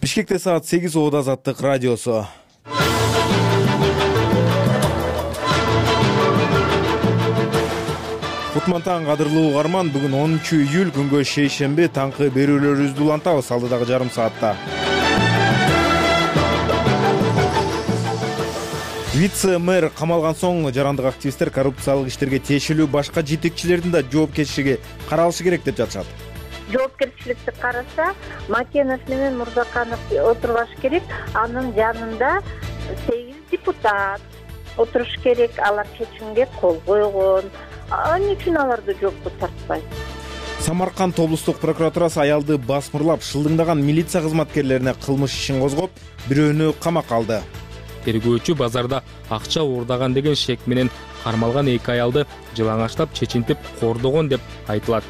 Бишкекте саат 8 Оода Азаттык радиосу. Кутмантан кадырлуу угарман, бүгүн 10-июль күнгө шейшемби таңкы берүүлөрүбүздү улантабыз алдыдагы жарым саатта. Вице-мэр камалган соң жарандык активисттер коррупциялык иштерге тиешелүү башка жетекчилердин да жоопкерчилиги каралышы керек деп жатышат. Жоопкерчиликти караса, Макенов менен Мурзаканов отурбаш керек. Анын жанында 8 депутат отуруш керек. Алар чечимге кол койгон. Эмне үчүн аларды жоопко тартпайт? Самарканд облустук прокуратурасы аялды басмырлап шылдыңдаган милиция кызматкерлерине кылмыш ишин козгоп, бирөөнү камакка алды. Тергөөчү базарда акча уурдаган деген шек менен кармалган 2 аялды жылаңачлап чечинтип кордогон деп айтылат.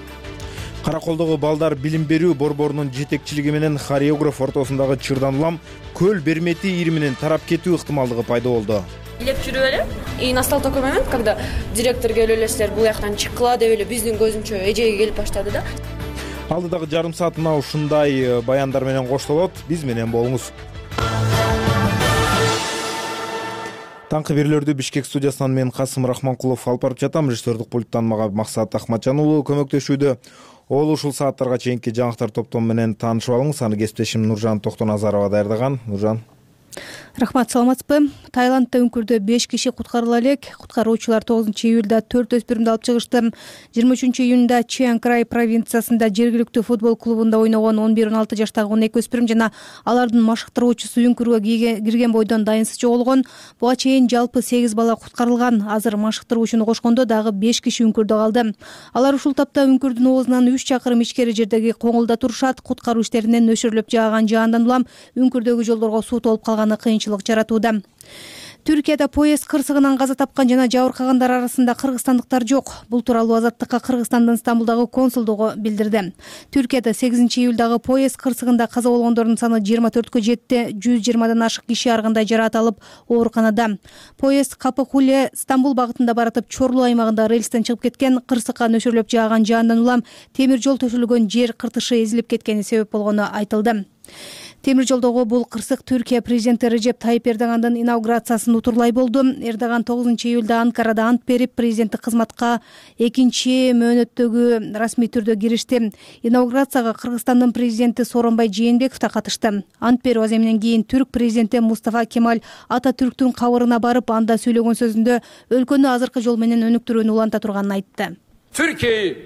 Караколдогу балдар билим берүү борборунун жетекчилиги менен хореограф ортосундагы чырдан улам көл бермети ириминин тарап кетүү ыктымалдыгы пайда болду. Илеп жүрүп эле, и настал такой момент, когда директор келип эле бул жактан чыккыла деп эле биздин көзүнчө эжеге келип баштады да. Алдыдагы жарым саат мына ушундай баяндар менен коштолот. Биз менен болуңуз. Таңкы берүүлөрдү Бишкек студиясынан мен Касым Рахманкулов алып барып жатам. Режиссердик пульттан мага Максат Ахматжан уулу көмөктөшүүдө. Ол ушул сааттарга чейинки жаңылыктар топтому менен таанышып алыңыз. Аны кесиптешим Нуржан Токтоназарова даярдаган. Нуржан. Рахмат, саламатсызбы? Таиландда үңкүрдө 5 киши куткарыла элек. Куткаруучулар 9-июлда 4 өспүрүмдү алып чыгышты. 23-июнда Чиан Край провинциясында жергиликтүү футбол клубунда ойногон 11-16 жаштагы 12 өспүрүм жана алардын машыктыруучусу үңкүргө кирген бойдон дайынсыз жоголгон. Буга чейин жалпы 8 бала куткарылган. Азыр машыктыруучуну кошкондо дагы 5 киши үңкүрдө калды. Алар ушул тапта үңкүрдүн оозунан 3 чакырым ичкери жердеги коңулда турушат. Куткаруу иштеринен нөшөрлөп жааган жаандан улам үңкүрдөгү жолдорго суу толуп калганы кыйынчылык жаратууда. Түркияда поезд кырсыгынан каза тапкан жана жабыркагандар арасында кыргызстандыктар жок. Бул тууралуу Азаттыкка Кыргызстандын Стамбулдагы консулдугу билдирди. Түркияда 8-июлдагы поезд кырсыгында каза болгондордун саны 24кө жетти. 120дан ашык киши ар кандай жараат алып ооруканада. Поезд Капыкуле Стамбул багытында баратып Чорлу аймагында рельстен чыгып кеткен. Кырсыкка нөшөрлөп жааган жаандан улам темир жол төшөлгөн жер кыртышы эзилип кеткени себеп болгону айтылды. Темир жолдогу бул кырсык Түркия президенти Режеп Тайип Эрдогандын инаугурациясын утурлай болду. Эрдоган 9-июлда Анкарада ант берип, президенттик кызматка 2 мөөнөттөгү расмий түрдө киришти. Инаугурацияга Кыргызстандын президенти Сооронбай Жээнбеков да катышты. Ант берүү аземинен кийин түрк президенти Мустафа Кемаль Ататүрктүн кабырына барып, анда сүйлөгөн сөзүндө өлкөнү азыркы жол менен өнүктүрүүнү уланта турганын айтты. Türkiye'yi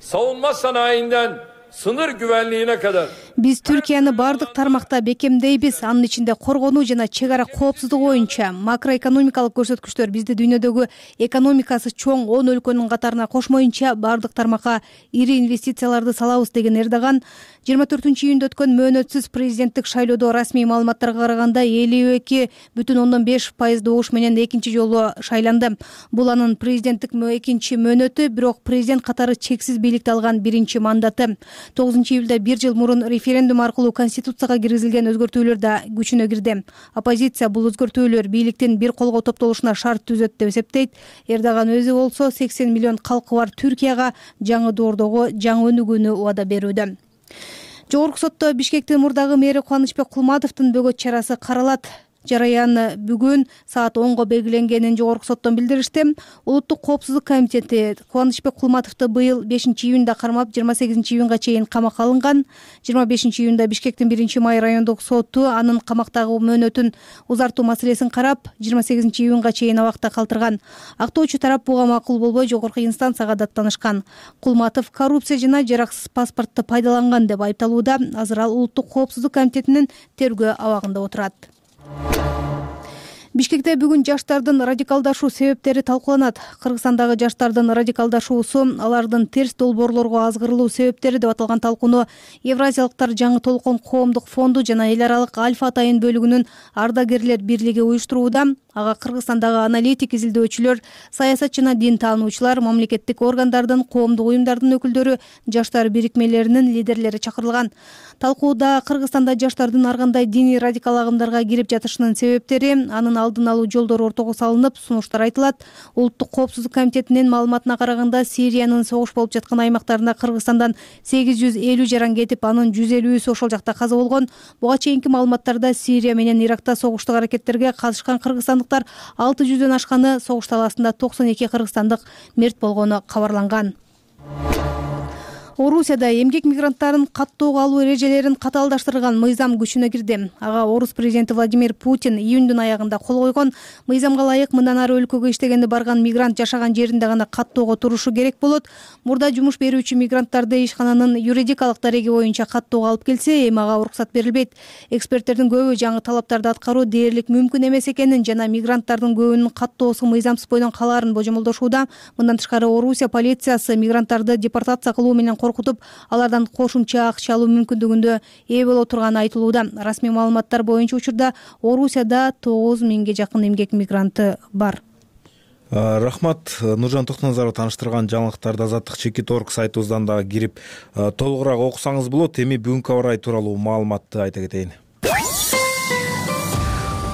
savunma sanayinden sınır güvenliğine kadar Биз Түркияны бардык тармакта бекемдейбиз. Анын ичинде коргонуу жана чек ара коопсуздугу боюнча макроэкономикалык көрсөткүчтөр бизди дүйнөдөгү экономикасы чоң 10 өлкөнүн катарына кошмоюнча бардык тармакка ири инвестицияларды салабыз деген Эрдоган 24-июнда өткөн мөөнөтсүз президенттик шайлоодо расмий маалыматтарга караганда 52,5% добуш менен экинчи жолу шайланды. Бул анын президенттик экинчи мөөнөтү, бирок президент катары чексиз бийликти алган биринчи мандаты. 9-июлда 1 жыл мурун референдум аркылуу конституцияга киргизилген өзгөртүүлөр да күчүнө кирди. Оппозиция бул өзгөртүүлөр бийликтин бир колго топтолушуна шарт түзөт деп эсептейт. Эрдоган өзү болсо 80 миллион калкы бар Түркияга жаңы доордогу жаңы өнүгүүнү убада берүүдө. Жогорку сотто Бишкектин мурдагы мэри Кубанычбек Кулматовдун бөгөт чарасы каралат. Жараян бүгүн саат 10го белгиленгенин жогорку соттон билдиришти. Улуттук коопсуздук комитети Кубанычбек Кулматовду быйыл 5-июнда кармап 28-июнга чейин камакка алынган. 25-июнда Бишкектин 1-май райондук соту анын камактагы мөөнөтүн узартуу маселесин карап, 28-июнга чейин абакта калтырган. Актоочу тарап буга макул болбой жогорку инстанцияга даттанышкан. Кулматов коррупция жана жараксыз паспортто пайдаланган деп айыпталууда. Азыр ал улуттук коопсуздук комитетинин тергөө абагында отурат. Бишкекте бүгүн жаштардын радикалдашуу себептери талкууланат. Кыргызстандагы жаштардын радикалдашуусу, алардын терс долбоорлорго азгырылуу себептери деп аталган талкууну Евразиялыктар жаңы толкон коомдук фонду жана эл аралык Альфа Атайын бөлүгүнүн ардагерлер бирлиги уюштурууда. Ага Кыргызстандагы аналитик, изилдөөчүлөр, саясат жана дин таануучулар, мамлекеттик органдардын, коомдук уюмдардын өкүлдөрү, жаштар бирикмелеринин лидерлери чакырылган. Талкууда Кыргызстанда жаштардын ар кандай диний радикал агымдарга кирип жатышынын себептери, анын алдын алуу жолдору ортого салынып, сунуштар айтылат. Улуттук коопсуздук комитетинин маалыматына караганда, Сириянын согуш болуп жаткан аймактарында Кыргызстандан 850 жаран кетип, анын 150-сү ошол жакта каза болгон. Буга чейинки маалыматтарда Сирия менен Иракта согуштук аракеттерге катышкан кыргызстандыктар 600дөн ашканы, согуш талаасында 92 кыргызстандык мерт болгону кабарланган. Орусияда эмгек мигранттарын каттоого алуу эрежелерин катаалдаштырган мыйзам күчүнө кирди. Ага Орус президенти Владимир Путин июндун аягында кол койгон. Мыйзамга ылайык мындан ары өлкөгө иштегенди барган мигрант жашаган жеринде гана каттоого турушу керек болот. Мурда жумуш берүүчү мигранттарды ишкананын юридикалык дареги боюнча каттоого алып келсе, эми ага уруксат берилбейт. Эксперттердин көбү жаңы талаптарды аткаруу дээрлик мүмкүн эмес экенин жана мигранттардын көбүнүн каттоосу мыйзамсыз бойдон калаарын божомолдошууда. Мындан тышкары Орусия полициясы мигранттарды депортация кылуу менен коркутуп, алардан кошумча акча алуу мүмкүндүгүндө ээ боло турганы айтылууда. Расмий маалыматтар боюнча учурда Орусияда 9000ге жакын эмгек мигранты бар. Рахмат. Нуржан Токтоназаров тааныштырган жаңылыктарды Азаттык Чекит.орг сайтыбыздан да кирип толугураак окусаңыз болот. Эми бүгүнкү аба ырайы тууралуу маалыматты айта кетейин.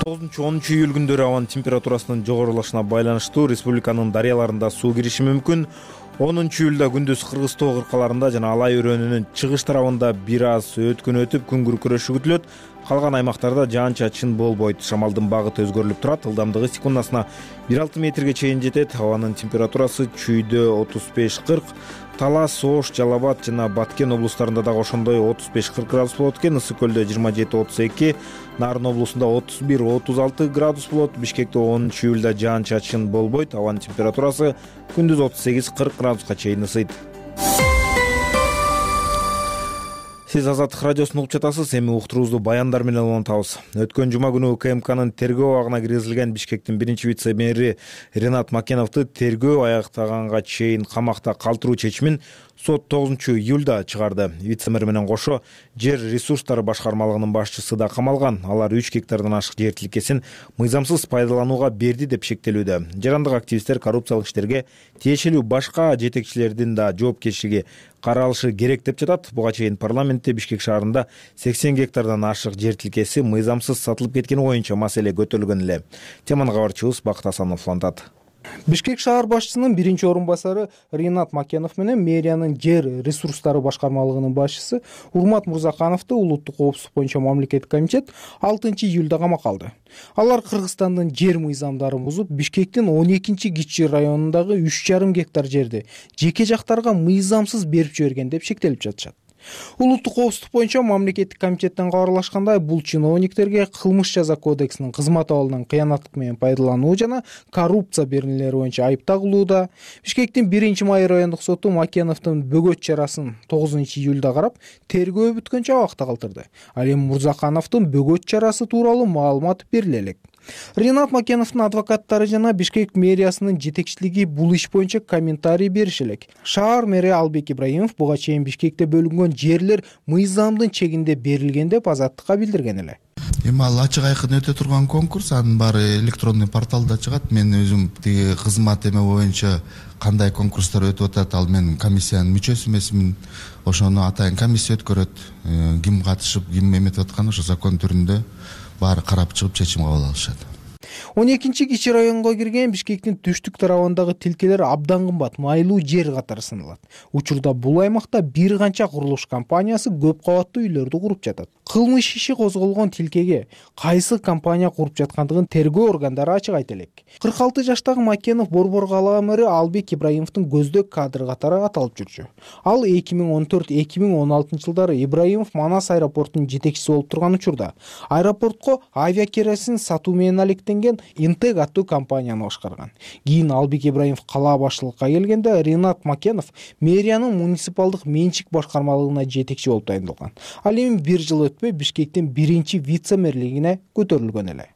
9-10 июль күндөрү абанын температурасынын жогорулашына байланыштуу республиканын дарыяларында суу кириши мүмкүн. 10 июлда күндүз Кыргыз тоо кыркаларында жана Алай өрөөнүнүн чыгыш тарабында бир аз өткөн өтүп күн күркүрөшү күтүлөт. Калган аймактарда жаан-чачын болбойт. Шамалдын багыты өзгөрүлүп турат. Ылдамдыгы секундасына 1,6 метрге чейин жетет. Абанын температурасы чүйдө 35-40, Талас, Ош, Жалал Абад жана Баткен облустарында дагы ошондой 35-40 градус болот экен. Ысык көлдө 27-32, Нарын облусунда 31-36 градус болот. Бишкекте 10 июлда жаан-чачын болбойт. Абанын температурасы күндүз 38-40 градуска чейин ысыйт. Сиз Азаттык радиосун угуп жатасыз. Эми уктуруубузду баяндар менен улантабыз. Өткөн жума күнү УКМКнын тергөө абагына киргизилген Бишкектин биринчи вице-мэри Ринат Макеновду тергөө аяктаганга чейин камакта калтыруу чечимин сот 9 июлда чыгарды. Вице-мэр менен кошо жер ресурстары башкармалыгынын башчысы да камалган. Алар 3 гектардан ашык жер тилкесин мыйзамсыз пайдаланууга берди деп шектелүүдө. Жарандык активисттер коррупциялык иштерге тиешелүү башка жетекчилердин да жоопкерчилиги каралышы керек деп жатат. Буга чейин парламентте Бишкек шаарында 80 гектардан ашык жер тилкеси мыйзамсыз сатылып кеткени боюнча маселе көтөрүлгөн эле. Теманы кабарчыбыз Бакыт Асанов улантат. Бишкек шаар башчысынын биринчи орун басары Ринат Макенов менен мэриянын жер ресурстары башкармалыгынын башчысы Урмат Мурзакановду улуттук коопсуздук боюнча мамлекеттик комитет 6 июлда камакка алды. Алар Кыргызстандын жер мыйзамдарын бузуп, Бишкектин 12-Кичи районундагы 3,5 гектар жерди жеке жактарга мыйзамсыз берип жиберген деп шектелип жатышат. Улуттук коопсуздук боюнча мамлекеттик комитеттен кабарлашкандай, бул чиновниктерге кылмыш жаза кодексинин кызмат абалынан кыянаттык менен пайдалануу жана коррупция беренелери боюнча айып тагылууда. Бишкектин 1-Май райондук соту Макеновдун бөгөт чарасын 9 июлда карап, тергөө бүткөнчө абакта калтырды. Ал эми Мурзакановдун бөгөт чарасы тууралуу маалымат бериле элек. Ринат Макеновдун адвокаттары жана Бишкек мэриясынын жетекчилиги бул иш боюнча комментарий бериши элек. Шаар мэри Албек Ибраимов буга чейин Бишкекте бөлүнгөн жерлер мыйзамдын чегинде берилген деп Азаттыкка билдирген эле. Эми ал ачык айкын өтө турган конкурс, анын баары электронный порталда чыгат. Мен өзүм тиги кызмат эме боюнча кандай конкурстар өтүп атат, ал мен комиссиянын мүчөсү эмесмин. Ошону атайын комиссия өткөрөт. Ким катышып, ким эметип атканы ошо закон түрүндө баары карап чыгып чечим кабыл алышат. 12-Кичи районго кирген Бишкектин түштүк тарабындагы тилкелер абдан кымбат, майлуу жер катары саналат. Учурда бул аймакта бир канча курулуш компаниясы көп кабаттуу үйлөрдү куруп жатат. Кылмыш иши козголгон тилкеге кайсы компания куруп жаткандыгын тергөө органдары ачык айта элек. 46 жаштагы Макенов Борбор калаа мэри Албек Ибраимовдун көздөк кадры катары аталып жүрчү. Ал 2014-2016 жылдары Ибраимов Манас аэропортунун жетекчиси болуп турган учурда аэропортко авиакеросин сатуу менен алектенген Интег аттуу компанияны башкарган. Кийин Албек Ибраимов калаа башчылыкка келгенде Ринат Макенов мэриянын муниципалдык менчик башкармалыгына жетекчи болуп тайындалган. Ал эми 1 жыл өтпөй Бишкектин биринчи вице-мэрлигине көтөрүлгөн эле.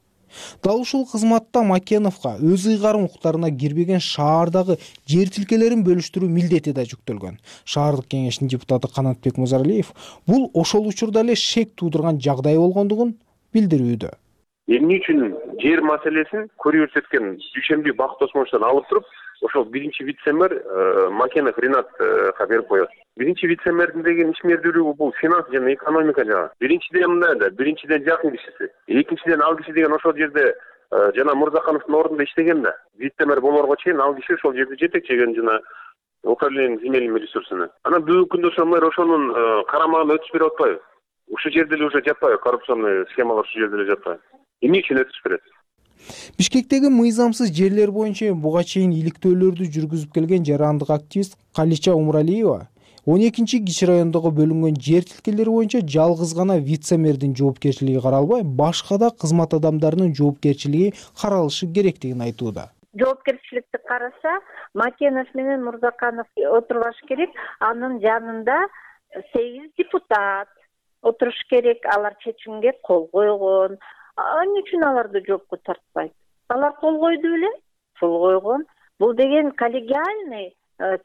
Дал ушул кызматта Макеновго өз ыйгарым укуктарына кирбеген шаардагы жер тилкелерин бөлүштүрүү милдети да жүктөлгөн. Шаардык кеңештин депутаты Канатбек Музаралиев бул ошол учурда эле шек туудурган жагдай болгондугун билдирүүдө. Эмне үчүн жер маселесин көрүү көрсөткөн Дүйшөнбү Бакыт Осмоновичтон алып туруп, ошол биринчи вице-мэр Макенов Ринатка берип коет. Биринчи вице-мэрдин деген ишмердүүлүгү бул финанс жана экономика жагы. Биринчиден жакын кишиси. Экинчиден ал киши деген ошол жерде жана Мурзакановдун ордунда иштеген да. Вице-мэр болорго чейин ал киши ошол жерде жетекчеген жана управление земельными ресурсами. Анан бүгүнкү күндө ошол мэр ошонун карамагына өтүш берип атпайбы? Ушул жерде эле уже жатпайбы? Коррупционный схемалар ушул жерде эле жатпайбы? Эмне үчүн өтүш берет? Бишкектеги мыйзамсыз жерлер боюнча буга чейин иликтөөлөрдү жүргүзүп келген жарандык активист Калича Умралиева 12-Кичи райондогу бөлүнгөн жер тилкелери боюнча жалгыз гана вице-мэрдин жоопкерчилиги каралбай, башка да кызмат адамдарынын жоопкерчилиги каралышы керектигин айтууда. Жоопкерчиликти караса, Макенов менен Мурзаканов отурбаш керек. Анын жанында 8 депутат отуруш керек. Алар чечимге кол койгон. Эмне үчүн аларды жоопко тартпайт? Алар кол койду беле? Кол койгон. Бул деген коллегиальный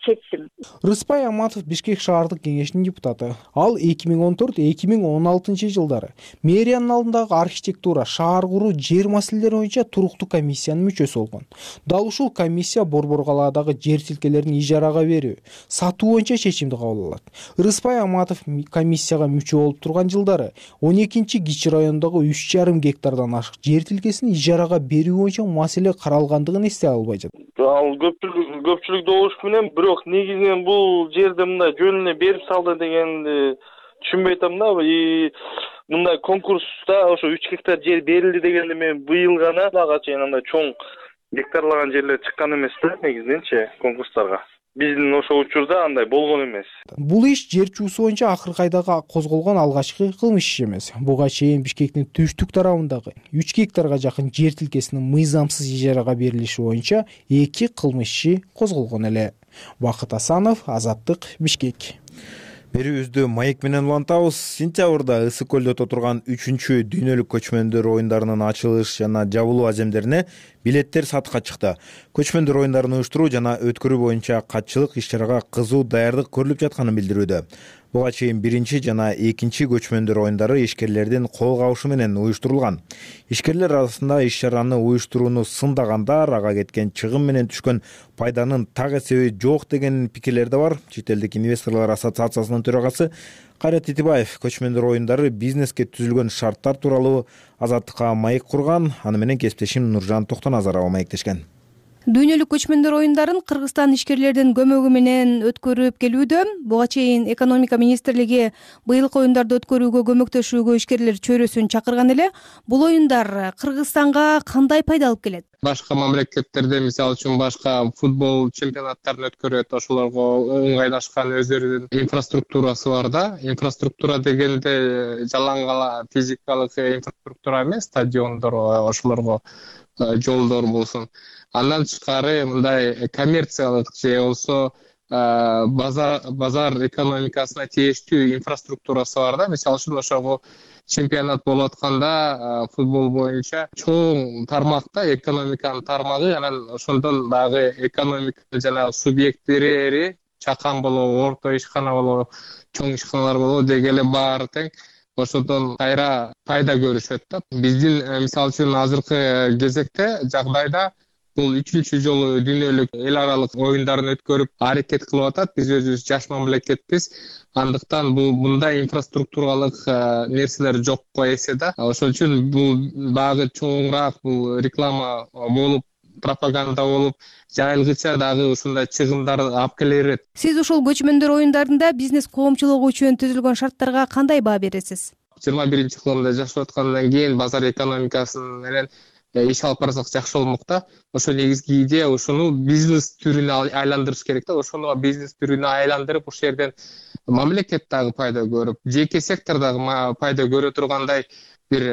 чечим. Рыспай Аматов Бишкек шаардык кеңешинин депутаты. Ал 2014-2016 жылдары мэриянын алдындагы архитектура, шаар куруу, жер маселелери боюнча туруктуу комиссиянын мүчөсү болгон. Дал ушул комиссия Борбор калаадагы жер тилкелерин ижарага берүү, сатуу боюнча чечимди кабыл алат. Рыспай Аматов комиссияга мүчө болуп турган жылдары 12-Кичи райондогу 3,5 гектардан ашык жер тилкесин ижарага берүү боюнча маселе каралгандыгын эстей албай жатат. Ал көпчүлүк добуш менен, бирок негизинен бул жерди мындай жөн эле берип салды дегенди түшүнбөй атам да. Мындай конкурста ошо 3 гектар жер берилди дегенде мен быйыл гана дагы чейин андай чоң гектарлаган жерлер чыккан эмес да негизиненчи конкурстарга. Биздин ошол учурда андай болгон эмес. Бул иш жер чуусу боюнча акыркы айда козголгон алгачкы кылмыш иш эмес. Буга чейин Бишкектин түштүк тарабындагы 3 гектарга жакын жер тилкесинин мыйзамсыз ижарага берилиши боюнча 2 кылмыш иши козголгон эле. Бакыт Асанов, Азаттык, Бишкек. Берүүбүздү маек менен улантабыз. Сентябрда Ысык көлдө өтө турган 3-чү дүйнөлүк көчмөндөр оюндарынын ачылыш жана жабылуу аземдерине билеттер сатыкка чыкты. Көчмөндөр оюндарын уюштуруу жана өткөрүү боюнча катчылык иш-чарага кызуу даярдык көрүлүп жатканын билдирүүдө. Буга чейин 1 жана 2 көчмөндөр оюндары ишкерлердин кол кабышы менен уюштурулган. Ишкерлер арасында иш-чараны уюштурууну сындагандар ага кеткен чыгым менен түшкөн пайданын так эсеби жок деген пикирлер да бар. Чет элдик инвесторлор ассоциациясынын төрагасы Кайрат Итибаев көчмөндөр оюндары бизнеске түзүлгөн шарттар тууралуу Азаттыкка маек курган. Аны менен кесиптешим Нуржан Токтоназарова маектешкен. Дүйнөлүк көчмөндөр оюндарын Кыргызстан ишкерлердин көмөгү менен өткөрүп келүүдө. Буга чейин экономика министрлиги быйылкы оюндарды өткөрүүгө көмөктөшүүгө ишкерлер чөйрөсүн чакырган эле. Бул оюндар Кыргызстанга кандай пайда алып келет? Башка мамлекеттерде, мисалы үчүн башка футбол чемпионаттарын өткөрөт, ошолорго ыңгайлашкан өздөрүнүн инфраструктурасы бар да. Инфраструктура дегенде жалаң физикалык инфраструктура эмес, стадиондор, ошолорго жолдор болсун. Андан тышкары мындай коммерциялык же болсо базар экономикасына тийиштүү инфраструктурасы бар да. Мисалы үчүн ошого чемпионат болуп атканда футбол боюнча чоң тармакта экономиканын тармагы, анан ошондон дагы экономика жана субъекттери чакан болобу, орто ишкана болобу, чоң ишканалар болобу деги эле баары тең ошондон кайра пайда көрүшөт да. Биздин мисалы үчүн азыркы кезекте жагдайда бул 3-чү жолу дүйнөлүк эл аралык оюндарын өткөрүп аракет кылып атат. Биз өзүбүз жаш мамлекетпиз. Андыктан мындай инфраструктуралык нерселер жокко эсе да. Ошол үчүн бул дагы чоңураак бул реклама болуп, пропаганда болуп, жайылгыча дагы ушундай чыгымдар алып келе берет. Сиз ушул көчмөндөр оюндарында бизнес коомчулугу үчүн түзүлгөн шарттарга кандай баа бересиз? 21-кылымда жашап аткандан кийин базар экономикасы менен иш алып барсак жакшы болмокта. Ошо негизги идея ошону бизнес түрүнө айландырыш керек да. Ошону бизнес түрүнө айландырып, ошол жерден мамлекет дагы пайда көрүп, жеке сектор дагы пайда көрө тургандай бир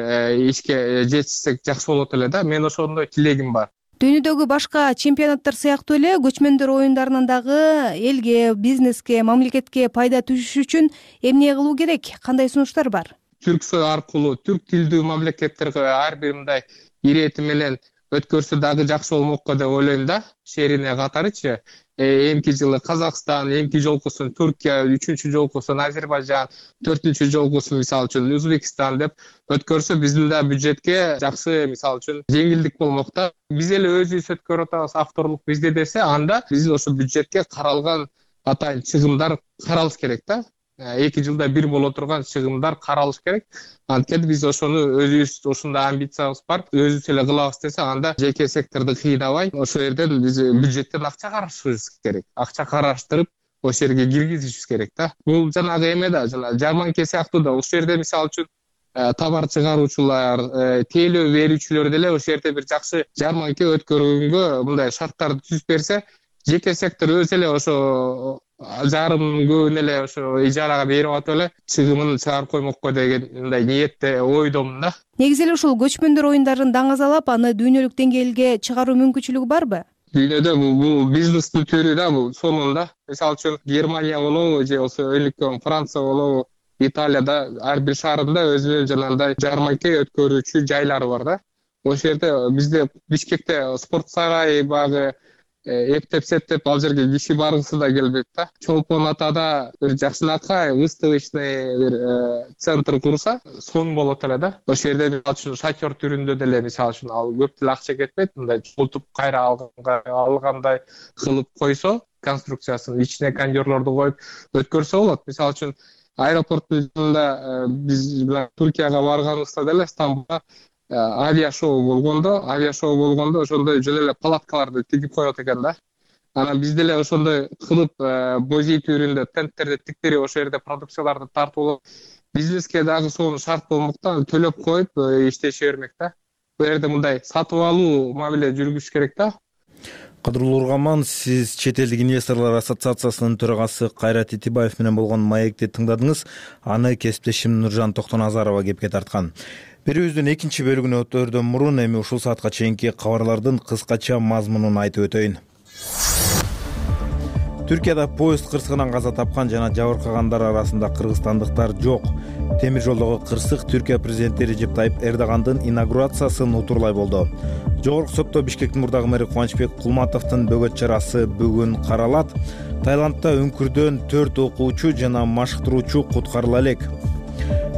ишке жетишсек жакшы болот эле да. Мен ошондой тилегим бар. Дүйнөдөгү башка чемпионаттар сыяктуу эле көчмөндөр оюндарынан дагы элге, бизнеске, мамлекетке пайда түшүш үчүн эмне кылуу керек? Кандай сунуштар бар? Түрксой аркылуу түрк тилдүү мамлекеттерге ар бир мындай ирети менен өткөрсө дагы жакшы болмокко деп ойлойм да. Шерине катарычы эмки жылы Казакстан, эмки жолкусун Түркия, 3-чү жолкусун Азербайжан, 4-чү жолкусун мисалы үчүн Өзбекстан деп өткөрсө биздин да бюджетке жакшы мисалы үчүн жеңилдик болмок да. Биз эле өзүбүз өткөрүп атабыз, авторлук бизде десе, анда биз ошо бюджетке каралган атайын чыгымдар каралыш керек да. 2 жылда бир боло турган чыгымдар каралыш керек. Анткени биз ошону өзүбүз ушундай амбициябыз бар, өзүбүз эле кылабыз десе, анда жеке секторду кыйнабай, ошол жерден биз бюджеттен акча карашыбыз керек. Акча караштырып, ошол жерге киргизишибиз керек да. Бул жанагы эме да, жана жарманке сыяктуу да. Ошол жерде мисалы үчүн товар чыгаруучулар, тейлөө берүүчүлөр деле ошол жерде бир жакшы жарманке өткөргөнгө мындай шарттарды түзүп берсе, жеке сектор өзү эле ошо жарымын көбүн эле ошо ижарага берип атып эле чыгымын чыгарып коймокко деген мындай ниетте, ойдомун да. Негизи эле ушул көчмөндөр оюндарын даңазалап, аны дүйнөлүк деңгээлге чыгаруу мүмкүнчүлүгү барбы? Дүйнөдө бул бизнестин түрү да, бул сонунда. Мисалы үчүн Германия болобу, же болсо өлүккөн Франция болобу, Италияда ар бир шаарында өзүнүн жанагындай жарманке өткөрүүчү жайлары бар да. Ошол жерде бизде Бишкекте спорт сарайы багы эптеп-септеп ал жерге киши баргысы да келбейт да. Чолпон атада бир жакшынакай выставочный бир центр курса сон болот эле да. Ошол жерде мисалы үчүн шатер түрүндө деле мисалы үчүн ал көп деле акча кетпейт, мындай чолтуп кайра алгандай кылып койсо, конструкциясын ичине кондёрлорду коюп өткөрсө болот. Мисалы үчүн аэропорттун жанында биз Түркияга барганыбызда деле Стамбулда авиашоу болгондо ошондой жөн эле палаткаларды тигип коет экен да. Анан биз деле ошондой кылып музей түрүндө тенттерди тиктирип ошол жерде продукцияларды тартып алып, бизнеске дагы сонун шарт болмок да, төлөп коюп иштеше бермек да. Бул жерде мындай сатып алуу мамиле жүргүзүш керек да. Кадырлуу угарман, сиз Чет элдик инвесторлор ассоциациясынын төрагасы Кайрат Итибаев менен болгон маекти тыңдадыңыз. Аны кесиптешим Нуржан Токтоназарова кепке тарткан. Берүүбүздүн экинчи бөлүгүнө өтөрдөн мурун эми ушул саатка чейинки кабарлардын кыскача мазмунун айтып өтөйүн. Түркияда поезд кырсыгынан каза тапкан жана жабыркагандар арасында кыргызстандыктар жок. Темир жолдогу кырсык Түркия президенти Режеп Тайып Эрдогандын инаугурациясын утурлай болду. Жогорку сотто Бишкектин мурдагы мэри Кубанычбек Кулматовдун бөгөт чарасы бүгүн каралат. Таиландда үңкүрдөн 4 окуучу жана машыктыруучу куткарыла элек.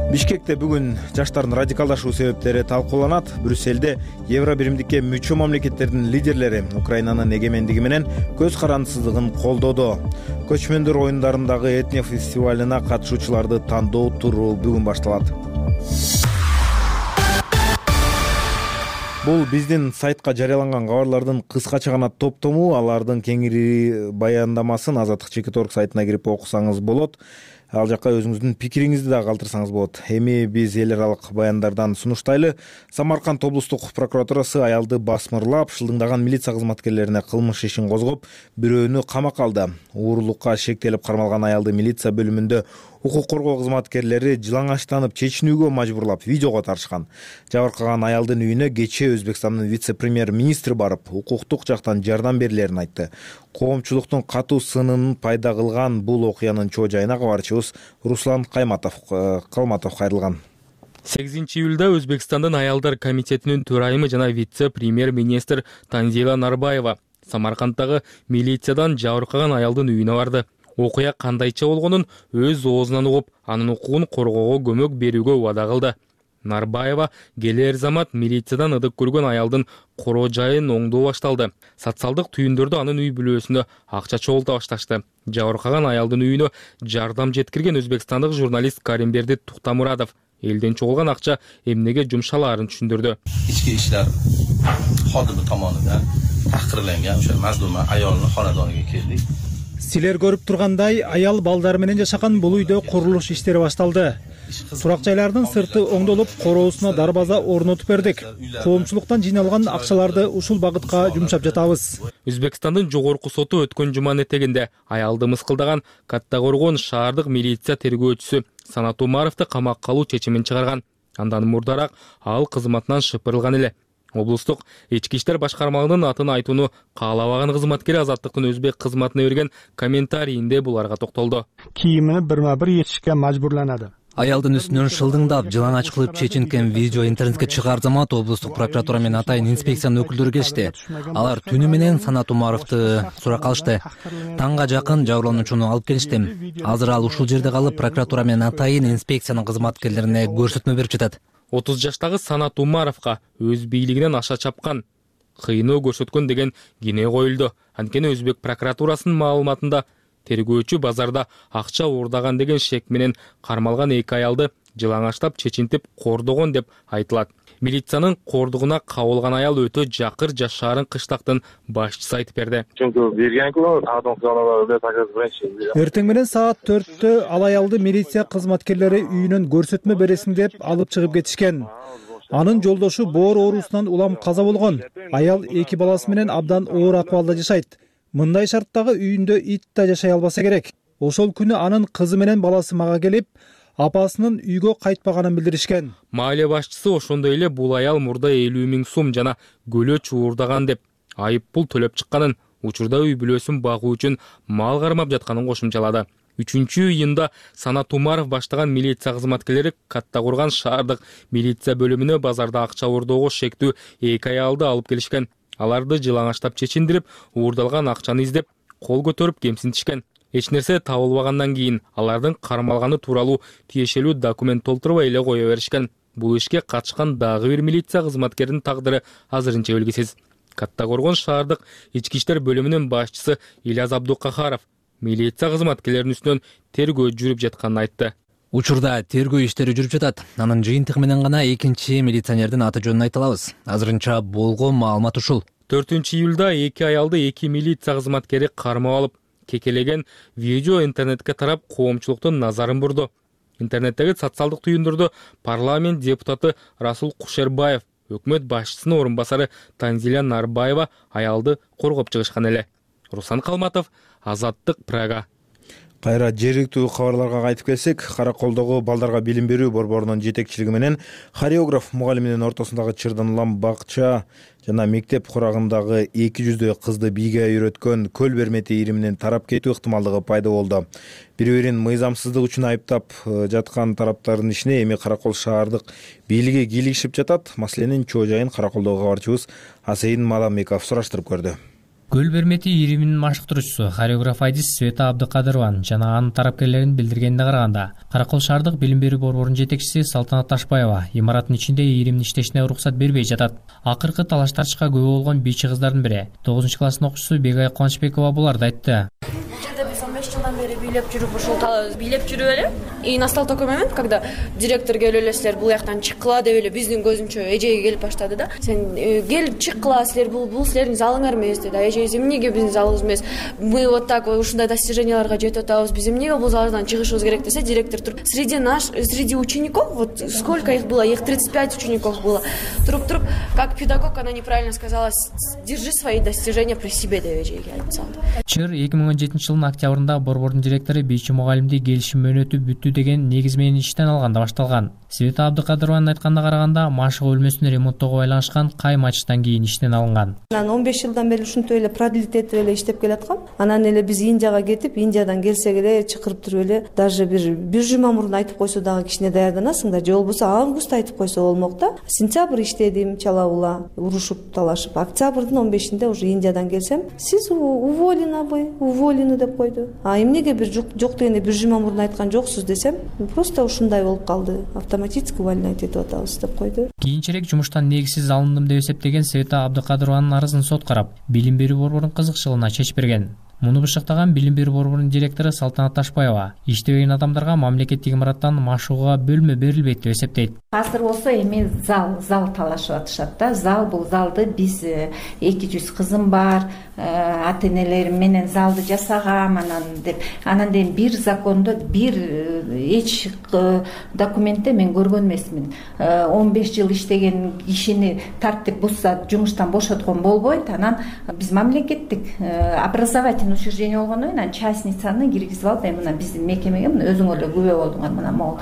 Бишкекте бүгүн жаштардын радикалдашуу себептери талкууланат. Брюсселде Евро биримдикке мүчө мамлекеттердин лидерлери Украинанын эгемендиги менен көз карандысыздыгын колдоду. Көчмөндөр оюндарындагы этно фестивалына катышуучуларды тандоо туру бүгүн башталат. Бул биздин сайтка жарыяланган кабарлардын кыскача гана топтому. Алардын кеңири баяндамасын Азаттык.org сайтына кирип окусаңыз болот. Ал жакка өзүңүздүн пикириңизди да калтырсаңыз болот. Эми биз эл аралык баяндардан сунуштайлы. Самарканд облустук прокуратурасы аялды басмырлап, шылдыңдаган милиция кызматкерлерине кылмыш ишин козгоп, бирөөнү камакка алды. Уурулукка шектелип кармалган аялды милиция бөлүмүндө укук коргоо кызматкерлери жылаңачтанып чечинүүгө мажбурлап видеого тартышкан. Жабыркаган аялдын үйүнө кечээ Өзбекстандын вице-премьер-министри барып, укуктук жактан жардам берилерин айтты. Коомчулуктун катуу сынын пайда кылган бул окуянын чоо жайына кабарчыбыз Руслан Калматов кайрылган. 8-июлда Өзбекстандын аялдар комитетинин төрайымы жана вице-премьер-министр Танзила Нарбаева Самаркандтагы милициядан жабыркаган аялдын үйүнө барды. Окуя кандайча болгонун өз оозунан угуп, анын укугун коргоого көмөк берүүгө убада кылды. Нарбаева келер замат милициядан ыдык көргөн аялдын короо жайын оңдоо башталды. Социалдык түйүндөрдө анын үй бүлөсүнө акча чогулта башташты. Жабыркаган аялдын үйүнө жардам жеткирген өзбекстандык журналист Каримберди Туктамурадов элден чогулган акча эмнеге жумшалаарын түшүндүрдү. Ички иштер кодими tomonidan tahqirlangan o'sha mazluma ayolning xonadoniga keldik. Силер көрүп тургандай, аял балдары менен жашаган бул үйдө курулуш иштери башталды. Турак жайлардын сырты оңдолуп, короосуна дарбаза орнотуп бердик. Коомчулуктан жыйналган акчаларды ушул багытка жумшап жатабыз. Өзбекстандын жогорку соту өткөн жуманын этегинде аялды мыскылдаган Каттагоргон шаардык милиция тергөөчүсү Санат Умаровду камакка алуу чечимин чыгарган. Андан мурдараак ал кызматынан шыпырылган эле. Облустук ички иштер башкармалыгынын атын айтууну каалабаган кызматкер Азаттыктын өзбек кызматына берген комментарийинде буларга токтолду. Кийимини бирма-бир ечишке мажбурланады. Аялдын үстүнөн шылдыңдап жылаңач кылып чечинткен видео интернетке чыгаар замат облустук прокуратура менен атайын инспекциянын өкүлдөрү келишти. Алар түнү менен Санат Умаровду суракка алышты. Таңга жакын жабырлануучуну алып келишти. Азыр ал ушул жерде калып, прокуратура менен атайын инспекциянын кызматкерлерине көрсөтмө берип жатат. 30 жаштагы Санат Умаровго өз бийлигинен аша чапкан, кыйноо көрсөткөн деген кине коюлду. Анткени Өзбек прокуратурасынын маалыматында тергөөчү базарда акча уурдаган деген шек менен кармалган эки аялды жылаңаштап чечинтип кордогон деп айтылат. Милициянын кордугуна кабылган аял өтө жакыр жашаарын кыштактын башчысы айтып берди. Эртең менен саат 4-тө ал аялды милиция кызматкерлери үйүнөн көрсөтмө бересиң деп алып чыгып кетишкен. Анын жолдошу боор оорусунан улам каза болгон. Аял эки баласы менен абдан оор акыбалда жашайт. Мындай шарттагы үйүндө ит да жашай албаса керек. Ошол күнү анын кызы менен баласы мага келип, апасынын үйгө кайтпаганын билдиришкен. Маале башчысы ошондой эле бул аял мурда 50 000 сум жана көлөч уурдаган деп айып пул төлөп чыкканын, учурда үй бүлөсүн багуу үчүн мал кармап жатканын кошумчалады. 3-июнда Санат Умаров баштаган милиция кызматкерлери Каттакурган шаардык милиция бөлүмүнө базарда акча уурдоого шектүү эки аялды алып келишкен. Аларды жылаңаштап чечиндирип, уурдалган акчаны издеп, кол көтөрүп кемсинтишкен. Эч нерсе табылбагандан кийин алардын кармалганы тууралуу тиешелүү документ толтурбай эле кое беришкен. Бул ишке катышкан дагы бир милиция кызматкеринин тагдыры азырынча белгисиз. Каттакурган шаардык ички иштер бөлүмүнүн башчысы Ильяз Абдукахаров милиция кызматкерлеринин үстүнөн тергөө жүрүп жатканын айтты. Учурда тергөө иштери жүрүп жатат. Анын жыйынтыгы менен гана экинчи милиционердин аты жөнүн айта алабыз. Азырынча болгон маалымат ушул. 4-июлда эки аялды эки милиция кызматкери кармап алып, кекелеген видео интернетке тарап, коомчулуктун назарын бурду. Интернеттеги социалдык түйүндөрдө парламент депутаты Расул Кушербаев, өкмөт башчысынын орун басары Танзила Нарбаева аялды коргоп чыгышкан эле. Руслан Калматов, Азаттык, Прага. Кайра жергиликтүү кабарларга кайтып келсек, Караколдогу балдарга билим берүү борборунун жетекчилиги менен хореограф мугалиминин ортосундагы чырдан улам бакча жана мектеп курагындагы 200 кызды бийге үйрөткөн көл бермети ириминин тарап кетүү ыктымалдыгы пайда болду. Бири-бирин мыйзамсыздык үчүн айыптап жаткан тараптардын ишине эми Каракол шаардык бийлиги кийлигишип жатат. Маселенин чоо жайын Караколдогу кабарчыбыз Асейин Маламбеков сураштырып көрдү. Көл бермети ириминин машыктыруучусу хореограф Айдис Света Абдыкадырованын жана анын тарапкерлеринин билдиргенине караганда, Каракол шаардык билим берүү борборунун жетекчиси Салтанат Ташбаева имараттын ичинде иримдин иштешине уруксат бербей жатат. Акыркы талаш-тартышка күбө болгон бийчи кыздардын бири 9-класстын окуучусу Бегай Кубанычбекова буларды айтты. Biz 15 жылдан бери бийлеп жүрүп ушул бийлеп жүрүп эле. И настал такой момент, когда директор келип эле силер бул жактан чыккыла деп эле биздин көзүнчө эжеге келип баштады да. Сен келип чыккыла, силер бул силердин залыңар эмес деди. Эже эмнеге биздин залыбыз эмес? Мы вот так ушундай достиженияларга жетип атабыз. Биз эмнеге бул залдан чыгышыбыз керек десе, директор туруп среди учеников, вот сколько их было? Их 35 учеников было. Туруп как педагог она неправильно сказала: "Держи свои достижения при себе" деп эжеге айтып салды. Чыр 2017 жылдын октябрында борбордун директору бийчи мугалимди келишим мөөнөтү бүттү деген негиз менен иштен алганда башталган. Света Абдыкадырованын айтканына караганда, машык бөлмөсүн ремонттоого байланышкан кай матчтан кийин иштен алынган. Анан 15 жылдан бери ушинтип эле продлить этип эле иштеп келаткам. Анан эле биз Индияга кетип, Индиядан келсек эле чакырып туруп эле даже бир жума мурун айтып койсо дагы кичине даярданасыңдар, же болбосо августта айтып койсо болмок да. Сентябрь иштедим, чала-була урушуп талашып. Октябрдын 15-inde уже Индиядан келсем, сиз уволены деп койду. А эмнеге бир жок дегенде бир жума мурун айткан жоксуз десем, просто ушундай болуп калды. Автоматически увольнять этип атабыз деп койду. Кийинчерээк жумуштан негизсиз алындым деп эсептеген Света Абдыкадырованын арызын сот карап, билим берүү борборунун кызыкчылыгына чечип берген. Муну бышыктаган билим берүү борборунун директору Салтанат Ташбаева иштебеген адамдарга мамлекеттик имараттан машыгууга бөлмө берилбейт деп эсептейт. Азыр болсо эми зал талашып атышат да. Бул залды биз 200 кызым бар, ата-энелерим менен залды жасагам деп. Анан дейин бир закондо бир эч документте мен көргөн эмесмин. 15 жыл иштеген кишини тартип бузса жумуштан бошоткон болбойт. Анан биз мамлекеттик образовательный государственный учреждение болгондон кийин частницаны киргизип алып мына биздин мекемеге мына өзүң эле күбө болдуңар, мына могул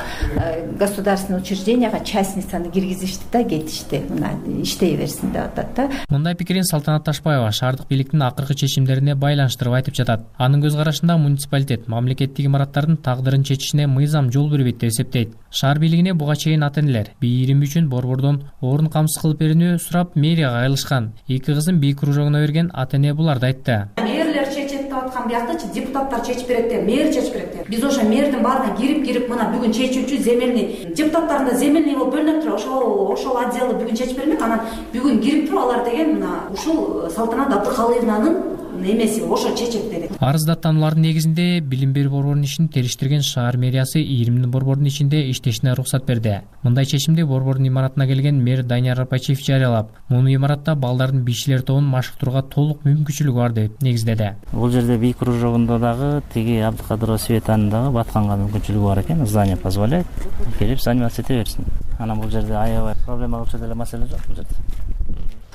государственный учрежденияга частницаны киргизишти да кетишти, мына иштей берсин деп атат да. Мындай пикирин Салтанат Ташбаева шаардык бийликтин акыркы чечимдерине байланыштырып айтып жатат. Анын көз карашында муниципалитет мамлекеттик имараттардын тагдырын чечишине мыйзам жол бербейт деп эсептейт. Шаар бийлигине буга чейин ата-энелер бийирим үчүн борбордон орун камсыз кылып берүүнү сурап мэрияга кайрылышкан. Эки кызын бий кружогуна берген ата-эне буларды айтты. Мэрлер чечет деп аткан биякчы депутаттар чечип берет деп, мэр чечип берет деп. Биз ошо мэрдин баарына кирип мына бүгүн чечүүчү земельный депутаттарын да земельный болуп бөлүнүп туруп ошол отделы бүгүн чечип бермек. Анан бүгүн кирип туруп алар деген мына ушул Салтанат Абдыкалыевнанын немеси ошо чечет деди. Арыз даттануулардын негизинде билим берүү борборунун ишин териштирген шаар мэриясы ийримдин борбордун ичинде иштешине уруксат берди. Мындай чечимди борбордун имаратына келген мэр Данияр Арпачиев жарыялап, муну имаратта балдардын бийчилер тобун машыктырууга толук мүмкүнчүлүгү бар деп негиздеди. Бул жерде бий кружогунда дагы тиги Абдыкадырова Светанын дагы батканга мүмкүнчүлүгү бар экен, здание позволяет. Келип заниматься эте берсин. Анан бул жерде аябай проблема болчу деле маселе жок бул жерде.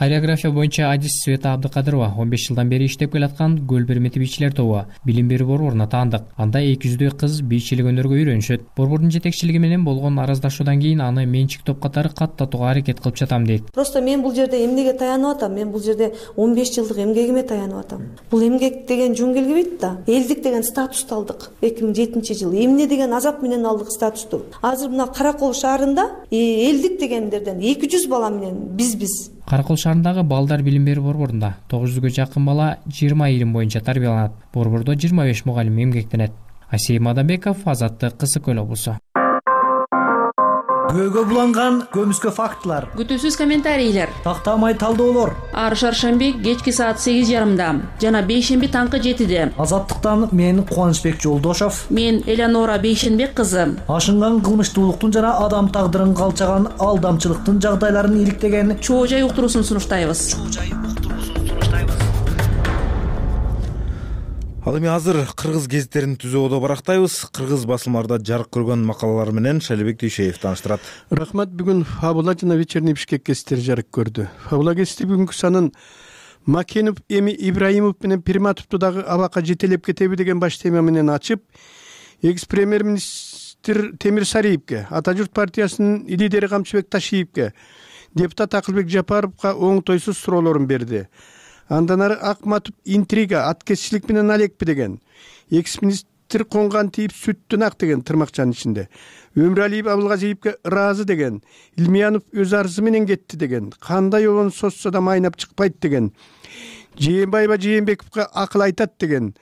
Хореография боюнча адис Света Абдыкадырова 15 жылдан бери иштеп келаткан Көл Бермети бийчилер тобу билим берүү борборуна таандык. Анда 200дөй кыз бийчилик өнөргө үйрөнүшөт. Борбордун жетекчилиги менен болгон араздашуудан кийин аны менчик топ катары каттатууга аракет кылып жатам дейт. Просто мен бул жерде эмнеге таянып атам? Мен бул жерде 15 жылдык эмгегиме таянып атам. Бул эмгек деген жөн келбейт да. Элдик деген статусту алдык 2007-жылы. Эмне деген азап менен алдык статусту. Азыр мына Каракол шаарында элдик дегендерден 200 бала менен биз Каракол шаарындагы балдар билим берүү борборунда 900гө жакын бала 20 илим боюнча тарбияланат. Борбордо 25 мугалим эмгектенет. Асей Мадамбеков, Азаттык, Кысык Көл облусу. Күбөгө буланган көмүскө фактылар, күтүүсүз комментарийлер, тактамай талдоолор. Ар шаршемби кечки саат 8:30 жана бейшемби таңкы 7-де. Азаттыктан мен Кубанычбек Жолдошов, мен Элеонора Бейшенбек кызы. Ашынган кылмыштуулуктун жана адам тагдырын калчаган алдамчылыктын жагдайларын иликтеген чоо жай уктуруусун сунуштайбыз. Ал эми азыр кыргыз гезиттерин түзүүгө барактайбыз. Кыргыз басылмаларда жарык көргөн макалалар менен Шалибек Дүйшеев тааныштырат. Рахмат. Бүгүн Фабула жана Вечерний Бишкек гезиттери жарык көрдү. Фабула гезити бүгүнкү санын Макенов эми Ибраимов менен Пирматовду дагы абакка жетелеп кетеби деген баш тема менен ачып, экс-премьер-министр Темир Сариевке, Ата журт партиясынын лидери Камчыбек Ташиевке, депутат Акылбек Жапаровго оңтойсуз суроолорун берди. Андан ары Акматов интрига, аткезчилик менен алекпи деген. Экс-министр конган тийип сүттүн ак деген тырмакчанын ичинде. Өмүралиев Абылгазиевке ыраазы деген. Илмиянов өз арызы менен кетти деген. Кандай обон сосса да майнап чыкпайт деген. Жээнбаева Жээнбековго акыл айтат деген.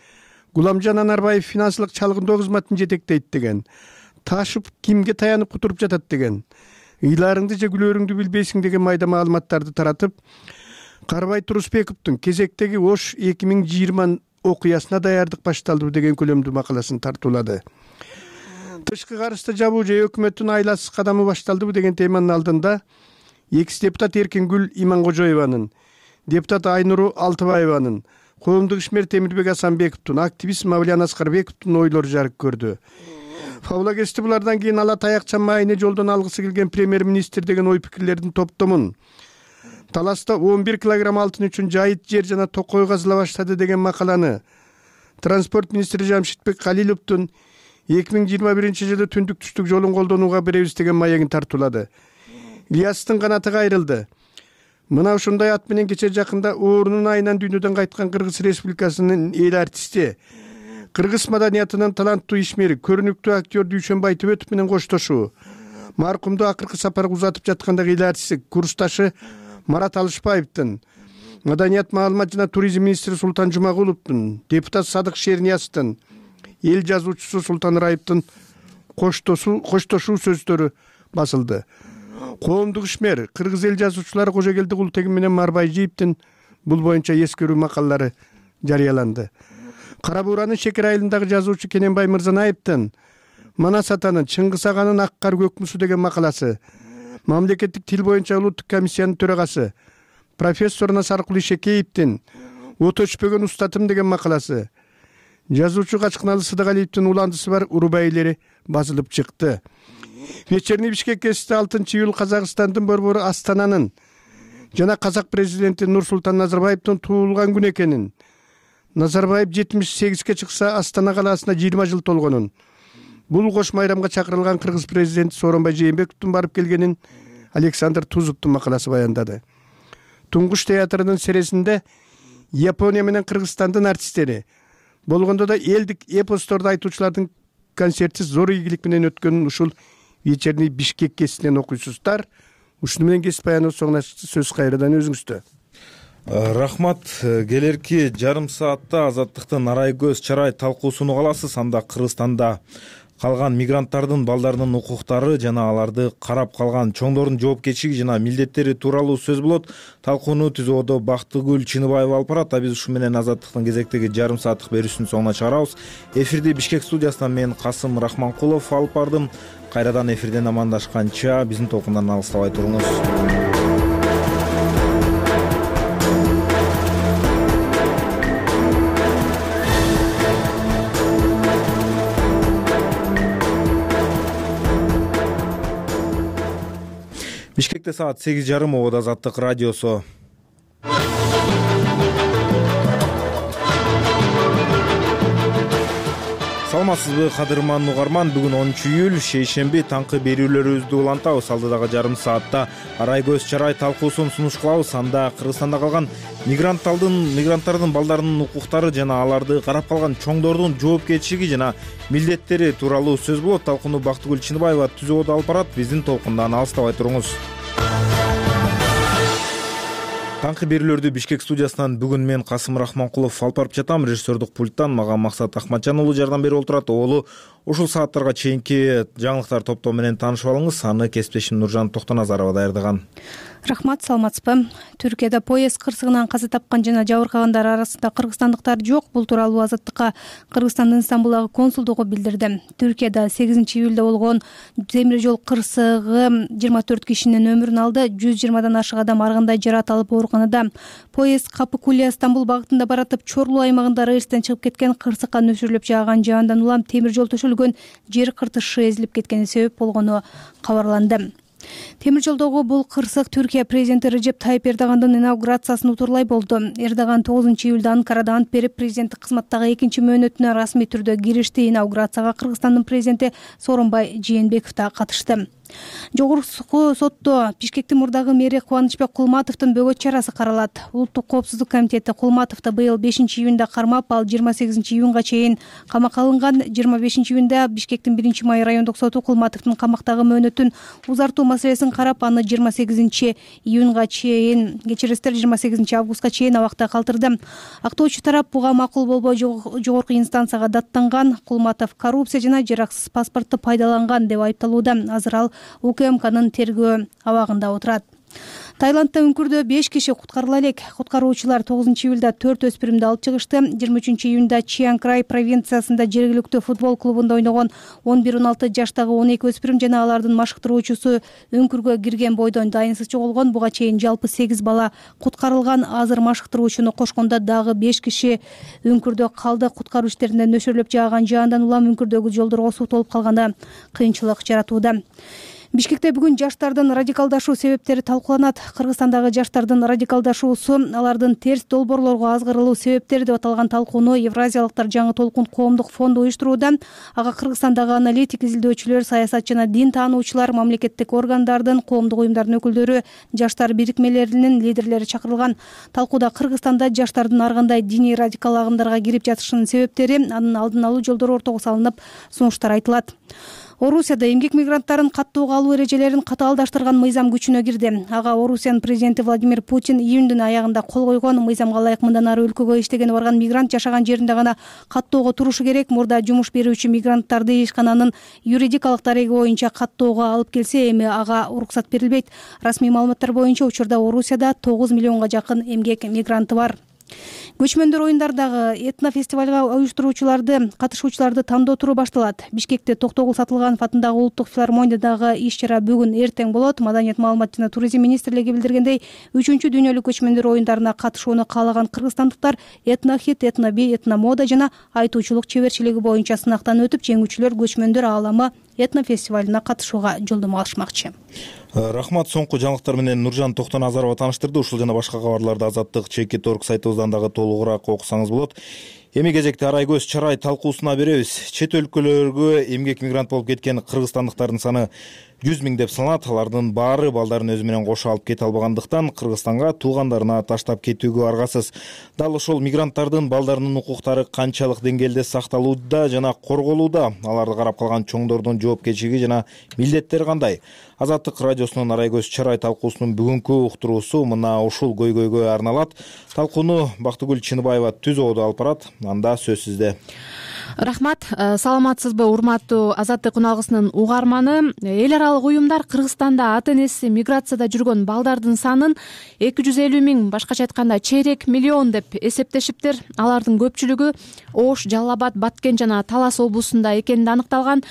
Гуламжан Анарбаев финансылык чалгындоо кызматын жетектейт деген. Ташып кимге таянып кутуруп жатат деген. Ыйларыңды же күлөрүңдү билбейсиң деген майда маалыматтарды таратып, Карбай Турусбековдун кезектеги Ош 2020 окуясына даярдык башталды деген көлөмдүү макаласын тартуулады. Тышкы карышты жабуу же өкмөттүн айласыз кадамы башталдыбы деген теманын алдында экс-депутат Эркингүл Иманкожоеванын, депутат Айнуру Алтыбаеванын, коомдук ишмер Темирбек Асанбековдун, активист Мавлян Аскарбековдун ойлору жарык көрдү. Фабула гезити булардан кийин ала таякча майыны жолдон алгысы келген премьер-министр деген ой пикирлердин топтомун, Таласта 11 килограмм алтын үчүн жайыт жер жана токой казыла баштады деген макаланы, транспорт министри Жамшитбек Калиловдун 2021-жылы түндүк түштүк жолун колдонууга беребиз деген маегин тартуулады. Ильястын канаты кайрылды. Мына ушундай ат менен кече жакында оорунун айынан дүйнөдөн кайткан Кыргыз Республикасынын эл артисти, кыргыз маданиятынын таланттуу ишмери, көрүнүктүү актер Дүйшөнбай Төбөтов менен коштошуу, маркумду акыркы сапарга узатып жаткандагы эл артисти, курсташы Марат Алышбаевдин, маданият, маалымат жана туризм министри Султан Жумагуловдун, депутат Садык Шернияздын, эл жазуучусу Султан Раевдин коштошуу сөздөрү басылды. Коомдук ишмер, кыргыз эл жазуучулары Кожогелди Култегин менен Марбайжиевдин бул боюнча эскерүү макалалары жарыяланды. Кара Бууранын Шекер айылындагы жазуучу Кененбай Мырзанаевдин Манас атанын Чыңгыз аганын Ак кар көкмүсү деген макаласы, мамлекеттик тил боюнча улуттук комиссиянын төрагасы профессор Насаркул Ишекеевдин Ото өчпөгөн устатым деген макаласы, жазуучу Качкыналы Сыдыгалиевдин уландысы бар Урубайлери басылып чыкты. Вечерний Бишкек гезити 6-июль Казакстандын борбору Астананын жана казак президенти Нурсултан Назарбаевдин туулган күнү экенин, Назарбаев 78-ге чыкса Астана калаасына 20 жыл толгонун, бул кош майрамга чакырылган кыргыз президенти Сооронбай Жээнбековдун барып келгенин Александр Тузовдун макаласы баяндады. Туңгуш театрынын сересинде Япония менен Кыргызстандын артисттери, болгондо да элдик эпосторду айтуучулардын концерти зор ийгилик менен өткөнүн ушул вечерний Бишкек гезитинен окуйсуздар. Ушуну менен кесип баяныбыз соңуна сөз кайрадан өзүңүздө. Рахмат. Келерки жарым саатта Азаттыктын арай көз чарай талкуусун угаласыз. Анда Кыргызстанда калган мигранттардын балдарынын укуктары жана аларды карап калган чоңдордун жоопкерчилиги жана милдеттери тууралуу сөз болот. Талкууну түзүүдө Бактыгүл Чыныбаева алып барат. Биз ушу менен Азаттыктын кезектеги жарым сааттык берүүсүнүн соңуна чыгарабыз. Эфирди Бишкек студиясынан мен Касым Рахманкулов алып бардым. Кайрадан эфирден амандашканча биздин толкундан алыстабай туруңуз. Бишкекте саат 8:30 обода Азаттык радиосу. Саламатсызбы кадырман угарман, бүгүн 10-июль шейшемби таңкы берүүлөрүбүздү улантабыз. Алдыдагы жарым саатта арай көз чарай талкуусун сунуш кылабыз. Анда Кыргызстанда калган мигранттардын балдарынын укуктары жана аларды карап калган чоңдордун жоопкерчилиги жана милдеттери тууралуу сөз болот. Талкууну Бактыгүл Чыныбаева түзүүдө алып барат. Биздин толкундан алыстабай туруңуз. Таңкы берүүлөрдү Бишкек студиясынан бүгүн мен Касым Рахманкулов алып барып жатам. Режиссердук пульттан мага Максат Ахматжан уулу жардам берип отурат. Оолу ушул сааттарга чейинки жаңылыктар топтоо менен таанышып алыңыз. Аны кесиптешим Нуржан Токтоназарова даярдаган. Рахмат, саламатсызбы? Түркияда поезд кырсыгынан каза тапкан жана жабыркагандар арасында кыргызстандыктар жок. Бул тууралуу Азаттыкка Кыргызстандын Стамбулдагы консулдугу билдирди. Түркияда 8-июлда болгон темир жол кырсыгы 24 кишинин өмүрүн алды. 120дан ашык адам ар кандай жаракат алып ооруканада. Поезд Капыкуле Стамбул багытында баратып, Чорлуу аймагында рельстен чыгып кеткен, кырсыкка нөшөрлөп жааган жаандан улам темир жол төшөлгөн жер кыртышы эзилип кеткени себеп болгону кабарланды. Темир жолдогу бул кырсык Түркия президенти Режеп Тайып Эрдогандын инаугурациясын утурлай болду. Эрдоган 9-июлда Анкарада ант берип, президенттик кызматтагы экинчи мөөнөтүнө расмий түрдө киришти. Инаугурацияга Кыргызстандын президенти Сооронбай Жээнбеков да катышты. Жогорку сотто Бишкектин мурдагы мэри Кубанычбек Кулматовдун бөгөт чарасы каралат. Улуттук коопсуздук комитети Кулматовду быйыл 5-июнда кармап, ал 28-июнга чейин камакка алынган. 25-июнда Бишкектин 1-май райондук соту Кулматовдун камактагы мөөнөтүн узартуу маселесин карап, аны 28-июнга чейин, кечиресиздер, 28-августка чейин абакта калтырды. Актоочу тарап буга макул болбой жогорку инстанцияга даттанган. Кулматов коррупция жана жараксыз паспортду пайдаланган деп айыпталууда. Азыр ал УКМКнын тергөө абагында отурат. Таиландда үңкүрдө 5 киши куткарыла элек. Куткаруучулар 9-июлда 4 өспүрүмдү алып чыгышты. 23-июнда Чиан Край провинциясында жергиликтүү футбол клубунда ойногон 11-16 жаштагы 12 өспүрүм жана алардын машыктыруучусу үңкүргө кирген бойдон дайынсыз жоголгон. Буга чейин жалпы 8 бала куткарылган. Азыр машыктыруучуну кошкондо дагы 5 киши үңкүрдө калды. Куткаруу иштеринде нөшөрлөп жааган жаандан улам үңкүрдөгү жолдорго суу толуп калганы кыйынчылык жаратууда. Бишкекте бүгүн жаштардын радикалдашуу себептери талкууланат. Кыргызстандагы жаштардын радикалдашуусу, алардын терс долбоорлорго азгырылуу себептери деп аталган талкууну Евразиялыктар жаңы толкун коомдук фонду уюштурууда. Ага Кыргызстандагы аналитик, изилдөөчүлөр, саясат жана дин таануучулар, мамлекеттик органдардын, коомдук уюмдардын өкүлдөрү, жаштар бирикмелеринин лидерлери чакырылган. Талкууда Кыргызстанда жаштардын ар кандай диний радикал агымдарга кирип жатышынын себептери, анын алдын алуу жолдору ортого салынып, сунуштар айтылат. Орусияда эмгек мигранттарын каттоого алуу эрежелерин катаалдаштырган мыйзам күчүнө кирди. Ага Орусиянын президенти Владимир Путин июндун аягында кол койгон. Мыйзамга ылайык мындан ары өлкөгө иштегени барган мигрант жашаган жеринде гана каттоого турушу керек. Мурда жумуш берүүчү мигранттарды ишкананын юридикалык дареги боюнча каттоого алып келсе, эми ага уруксат берилбейт. Расмий маалыматтар боюнча учурда Орусияда 9 миллионго жакын эмгек мигранты бар. Көчмөндөр оюндарындагы этнофестивалга катышуучуларды тандоо туру башталат. Бишкекте Токтогул Сатылганов атындагы улуттук филармониядагы иш-чара бүгүн эртең болот. Маданият, маалымат жана туризм министрлиги билдиргендей, 3-дүйнөлүк көчмөндөр оюндарына катышууну каалаган кыргызстандыктар этнохит, этноби, этномода жана айтуучулук чеберчилиги боюнча сынактан өтүп, жеңүүчүлөр көчмөндөр ааламы этнофестивалына катышууга жолдомо алышмакчы. Рахмат. Соңку жаңылыктар менен Нуржан Токтоназарова тааныштырды. Ушул жана башка кабарларды Азаттык ЧК.org сайтыбыздан дагы толугураак окусаңыз болот. Эми кезекте арай көз чарай талкуусуна беребиз. Чет өлкөлөргө эмгек мигрант болуп кеткен кыргызстандыктардын саны 100 миң деп саналат. Алардын баары балдарын өзү менен кошо алып кете албагандыктан Кыргызстанга туугандарына таштап кетүүгө аргасыз. Дал ошол мигранттардын балдарынын укуктары канчалык деңгээлде сакталууда жана корголууда? Аларды карап калган чоңдордун жоопкерчилиги жана милдеттери кандай? Азаттык радиосунун арай көз чарай талкуусунун бүгүнкү уктуруусу мына ушул көйгөйгө арналат. Талкууну Бактыгүл Чыныбаева түз ободо алып барат. Анда сөз сизде. Рахмат. Саламатсызбы, урматтуу Азаттык уналгысынын угарманы? Эл аралык уюмдар Кыргызстанда ата-энеси миграцияда жүргөн балдардын санын 250 миң, башкача айтканда чейрек миллион деп эсептешиптир. Алардын көпчүлүгү Ош, Жалал Абад, Баткен жана Талас облусунда экени аныкталган.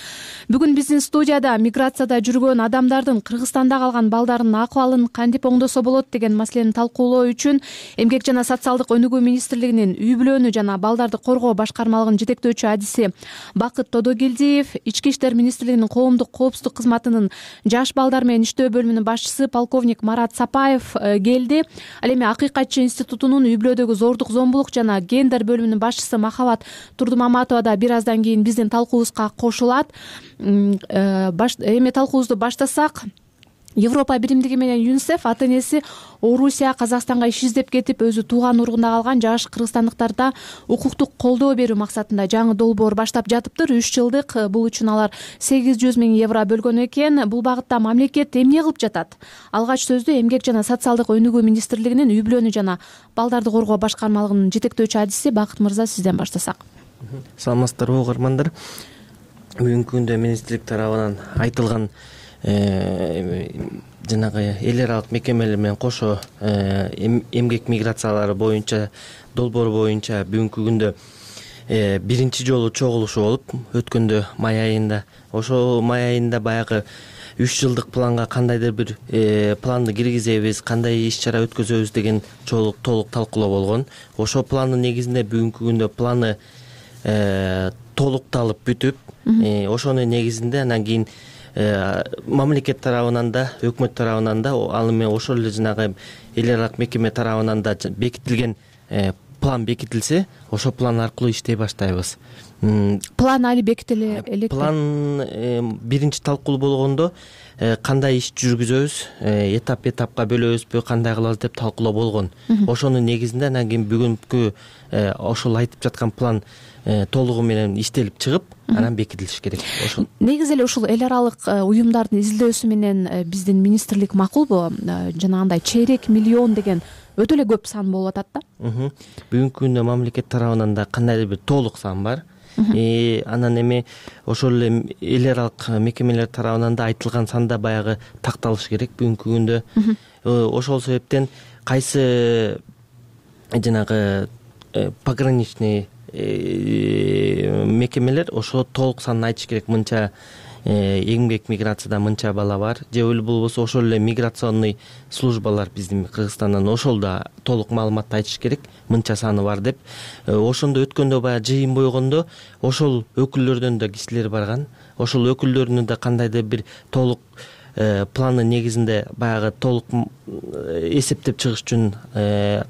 Бүгүн биздин студияда миграцияда жүргөн адамдардын Кыргызстанда калган балдарынын акыбалын кантип оңдосо болот деген маселени талкуулоо үчүн Эмгек жана социалдык өнүгүү министрлигинин үй бүлөнү жана балдарды коргоо башкармалыгынын жетектөөчү адиси Бакыт Тодогелдиев, Ички иштер министрлигинин коомдук коопсуздук кызматынын жаш балдар менен иштөө бөлүмүнүн башчысы полковник Марат Сапаев келди. Ал эми Акыйкатчы институтунун үй бүлөдөгү зордук зомбулук жана гендер бөлүмүнүн башчысы Махабат Турдумаматова да бир аздан кийин биздин талкуубузга кошулат. Эми талкуубузду баштасак, Европа биримдиги менен ЮНИСЕФ ата-энеси Орусия, Казакстанга иш издеп кетип, өзү тууган уругунда калган жаш кыргызстандыктарда укуктук колдоо берүү максатында жаңы долбоор баштап жатыптыр. 3 жылдык. Бул үчүн алар 800 миң евро бөлгөн экен. Бул багытта мамлекет эмне кылып жатат? Алгач сөздү Эмгек жана социалдык өнүгүү министрлигинин үй бүлөнү жана балдарды коргоо башкармалыгынын жетектөөчү адиси Бакыт мырза, сизден баштасак. Саламатсыздарбы, угармандар. Бүгүнкү күндө министрлик тарабынан айтылган жанагы эл аралык мекемелер менен кошо эмгек миграциялары боюнча долбоор боюнча бүгүнкү күндө биринчи жолу чогулушу болуп өткөндө май айында. Ошол май айында баягы 3 жылдык планга кандайдыр бир планды киргизебиз, кандай иш чара өткөзөбүз деген толук талкуулоо болгон. Ошол пландын негизинде бүгүнкү күндө планы толукталып бүтүп, ошонун негизинде анан кийин мамлекет тарабынан да, өкмөт тарабынан да, ал эми ошол эле жанагы эл аралык мекеме тарабынан да бекитилген план бекитилсе, ошол план аркылуу иштей баштайбыз. План али бекитиле элек. План биринчи талкуулоо болгондо кандай иш жүргүзөбүз, этапка бөлөбүзбү, кандай кылабыз деп талкуулоо болгон. Ошонун негизинде анан кийин бүгүнкү ошол айтып жаткан план толугу менен иштелип чыгып, анан бекитилиш керек. Ошол. Негизи эле ушул эл аралык уюмдардын изилдөөсү менен биздин министрлик макулбу? Жанагындай чейрек миллион деген өтө эле көп сан болуп атат да. Бүгүнкү күндө мамлекет тарабынан да кандайдыр бир толук сан бар. Анан эми ошол эле эл аралык мекемелер тарабынан да айтылган санда баягы такталыш керек бүгүнкү күндө. Ошол себептен кайсы жанагы пограничный мекемелер ошо толук санын айтыш керек. Мынча эмгек миграцияда мынча бала бар, же болбосо ошол эле миграционный службалар биздин Кыргызстандан ошол да толук маалыматты айтыш керек, мынча саны бар деп. Ошондо өткөндө баягы жыйын бойгондо ошол өкүлдөрдөн да кишилер барган. Ошол өкүлдөрдүн да кандайдыр бир толук пландын негизинде баягы толук эсептеп чыгыш үчүн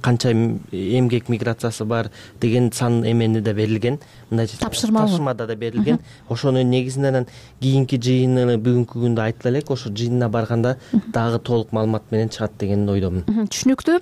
канча эмгек миграциясы бар деген сан эмени да берилген. Мындай тапшырмада да берилген. Ошонун негизинде анан кийинки жыйыны бүгүнкү күндө айтыла элек. Ошо жыйынына барганда дагы толук маалымат менен чыгат деген ойдомун. Түшүнүктүү.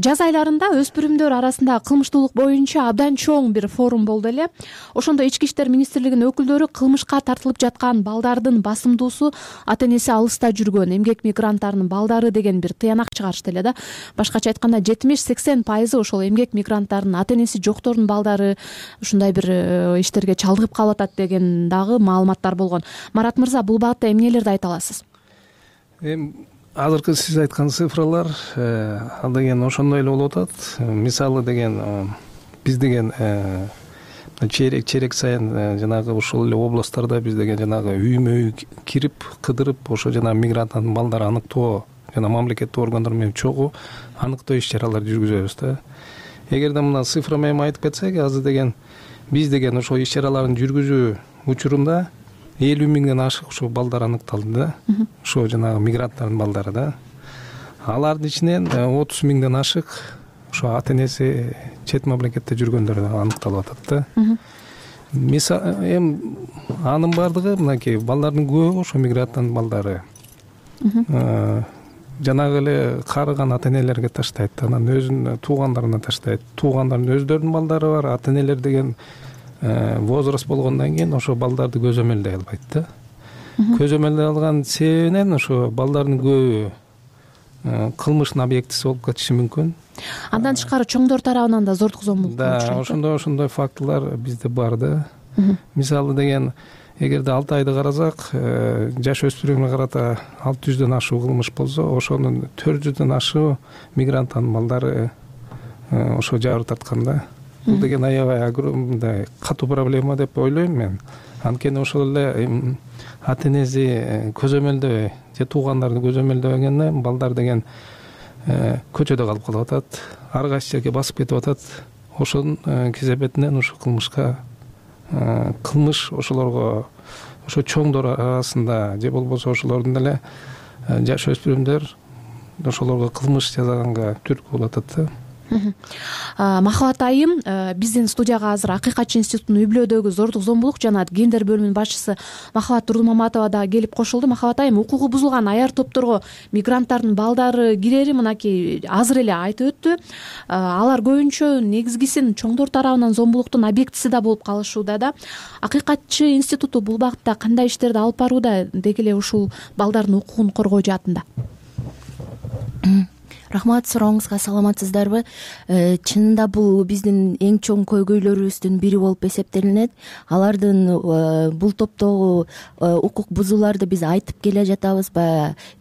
Жаз айларында өспүрүмдөр арасында кылмыштуулук боюнча абдан чоң бир форум болду эле. Ошондо Ички иштер министрлигинин өкүлдөрү кылмышка тартылып жаткан балдардын басымдуусу ата-энеси алыста жүргөн эмгек мигранттарынын балдары деген бир тыянак чыгарышты эле да. Башкача айтканда 70-80% ошол эмгек мигранттарынын ата-энеси жоктордун балдары ушундай бир иштерге чалдыгып калып атат деген дагы маалыматтар болгон. Марат мырза, бул багытта эмнелерди айта аласыз? Азыркы сиз айткан цифралар ал деген ошондой эле болуп атат. Мисалы деген биз деген чейрек сайын жанагы ушул эле областтарда биз деген жанагы үймө үй кирип кыдырып ошо жанагы мигранттардын балдарын аныктоо жана мамлекеттик органдар менен чогуу аныктоо иш чаралар жүргүзөбүз да. Эгерде мына цифра менен айтып кетсек, азыр деген биз деген ошол иш чараларын жүргүзүү учурунда 50 миңден ашык ушул балдар аныкталды да. Ошо жанагы мигранттардын балдары да. Алардын ичинен 30 миңден ашык ошо ата энеси чет мамлекетте жүргөндөр аныкталып атат да. Эми анын бардыгы мынакей балдардын көбү ошо мигранттын балдары. Жанагы эле карыган ата энелерге таштайт, анан өзүнүн туугандарына таштайт. Туугандардын өздөрүнүн балдары бар, ата энелер деген возраст болгондон кийин ошо балдарды көзөмөлдөй албайт да. Көзөмөлдөй алган себебинен ошо балдардын көбү кылмыштын объектиси болуп кетиши мүмкүн. Андан тышкары чоңдор тарабынан да зордук зомбулук болушу мүмкүн. Ошондой фактылар бизде бар да. Мисалы деген эгерде 6 айды карасак, жаш өспүрүмгө карата 600дөн ашуу кылмыш болсо, ошонун 400дөн ашуу мигранттын балдары ошо жабыр тарткан да. Бул деген аябай огромный катуу проблема деп ойлойм мен. Анткени ошол эле ата энеси көзөмөлдөбөй же туугандарды көзөмөлдөбөгөндөн балдар деген көчөдө калып калып атат, ар кайсы жерге басып кетип атат. Ошонун кесепетинен ошо кылмыш ошолорго, ошо чоңдор арасында же болбосо ошолордун эле жаш өспүрүмдөр ошолорго кылмыш жасаганга түрткү болуп атат да. Махабат айым, биздин студияга азыр Акыйкатчы институтунун үй-бүлөдөгү зордук зомбулук жана гендер бөлүмүнүн башчысы Махабат Турдумаматова да келип кошулду. Махабат айым, укугу бузулган аяр топторго мигранттардын балдары кирери мынакей азыр эле айтып өттү. Алар көбүнчө негизгисин чоңдор тарабынан зомбулуктун объектиси да болуп калышууда да. Акыйкатчы институту бул багытта кандай иштерди алып барууда, деги эле ушул балдардын укугун коргоо жаатында? Рахмат, сурооңузга саламатсыздарбы? Чынында бул биздин эң чоң көйгөйлөрүбүздүн бири болуп эсептелинет. Алардын бул топтогу укук бузууларды биз айтып келе жатабыз.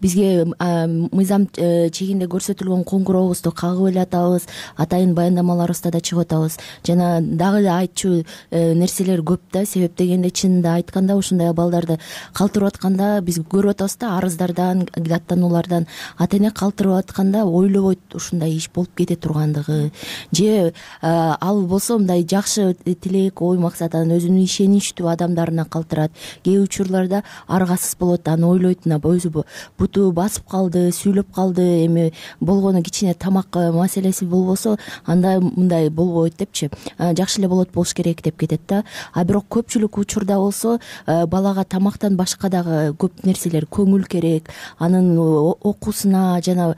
Бизге мыйзам чегинде көрсөтүлгөн коңгурообузду кагып эле атабыз, атайын баяндамаларыбызда да чыгып атабыз. Жана дагы эле айтчу нерселер көп да. Себеп дегенде чынында айтканда ушундай балдарды калтырып атканда биз көрүп атабыз да, арыздардан, даттануулардан ата эне калтырып атканда ойлобойт ушундай иш болуп кете тургандыгы, же ал болсо мындай жакшы тилек, ой максатан өзүнүн ишеничтүү адамдарына калтырат. Кээ учурларда аргасыз болот, аны ойлойт, өзү буту басып калды, сүйлөп калды, эми болгону кичине тамак маселеси болбосо анда мындай болбойт депчи, жакшы эле болот, болуш керек деп кетет да. А бирок көпчүлүк учурда болсо балага тамактан башка дагы көп нерселер көңүл керек, анын окуусуна жана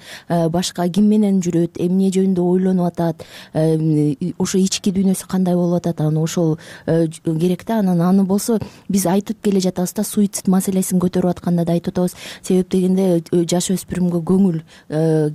башка ким менен жүрөт, эмне жөнүндө ойлонуп атат, ошо ички дүйнөсү кандай болуп атат, аны ошол керек да. Анан аны болсо биз айтып келе жатабыз да, суицид маселесин көтөрүп атканда да айтып атабыз. Себеп дегенде жаш өспүрүмгө көңүл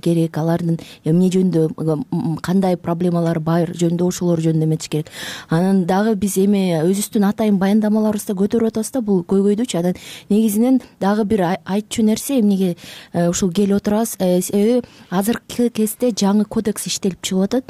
керек, алардын эмне жөнүндө кандай проблемалары бар жөнүндө ошолор жөнүндө эметиш керек. Анан дагы биз эми өзүбүздүн атайын баяндамаларыбызда көтөрүп атабыз да бул көйгөйдүчү. Анан негизинен дагы бир айтчу нерсе, эмнеге ушул келип отурабыз, себеби азыркы кезде жаңы кодекс иштелип чыгып атат.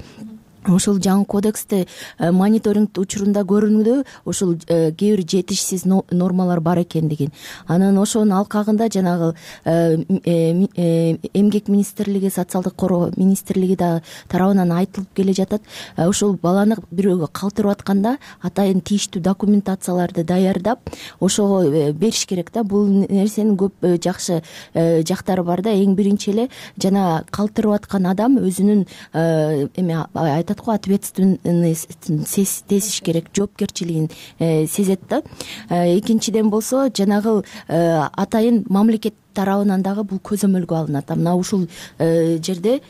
Ошол жаңы кодексте мониторинг учурунда көрүнүүдө ошол кээ бир жетишсиз нормалар бар экендигин. Анан ошонун алкагында жанагы эмгек министрлиги, социалдык коргоо министрлиги да тарабынан айтылып келе жатат. Ошол баланы бирөөгө калтырып атканда атайын тийиштүү документацияларды даярдап ошого бериш керек да. Бул нерсенин көп жакшы жактары бар да. Эң биринчи эле жана калтырып аткан адам өзүнүн айтат ответственность сезиш керек, жоопкерчилигин сезет да. Экинчиден болсо жанагы атайын мамлекет тарабынан дагы бул көзөмөлгө алынат. Мына ушул жерде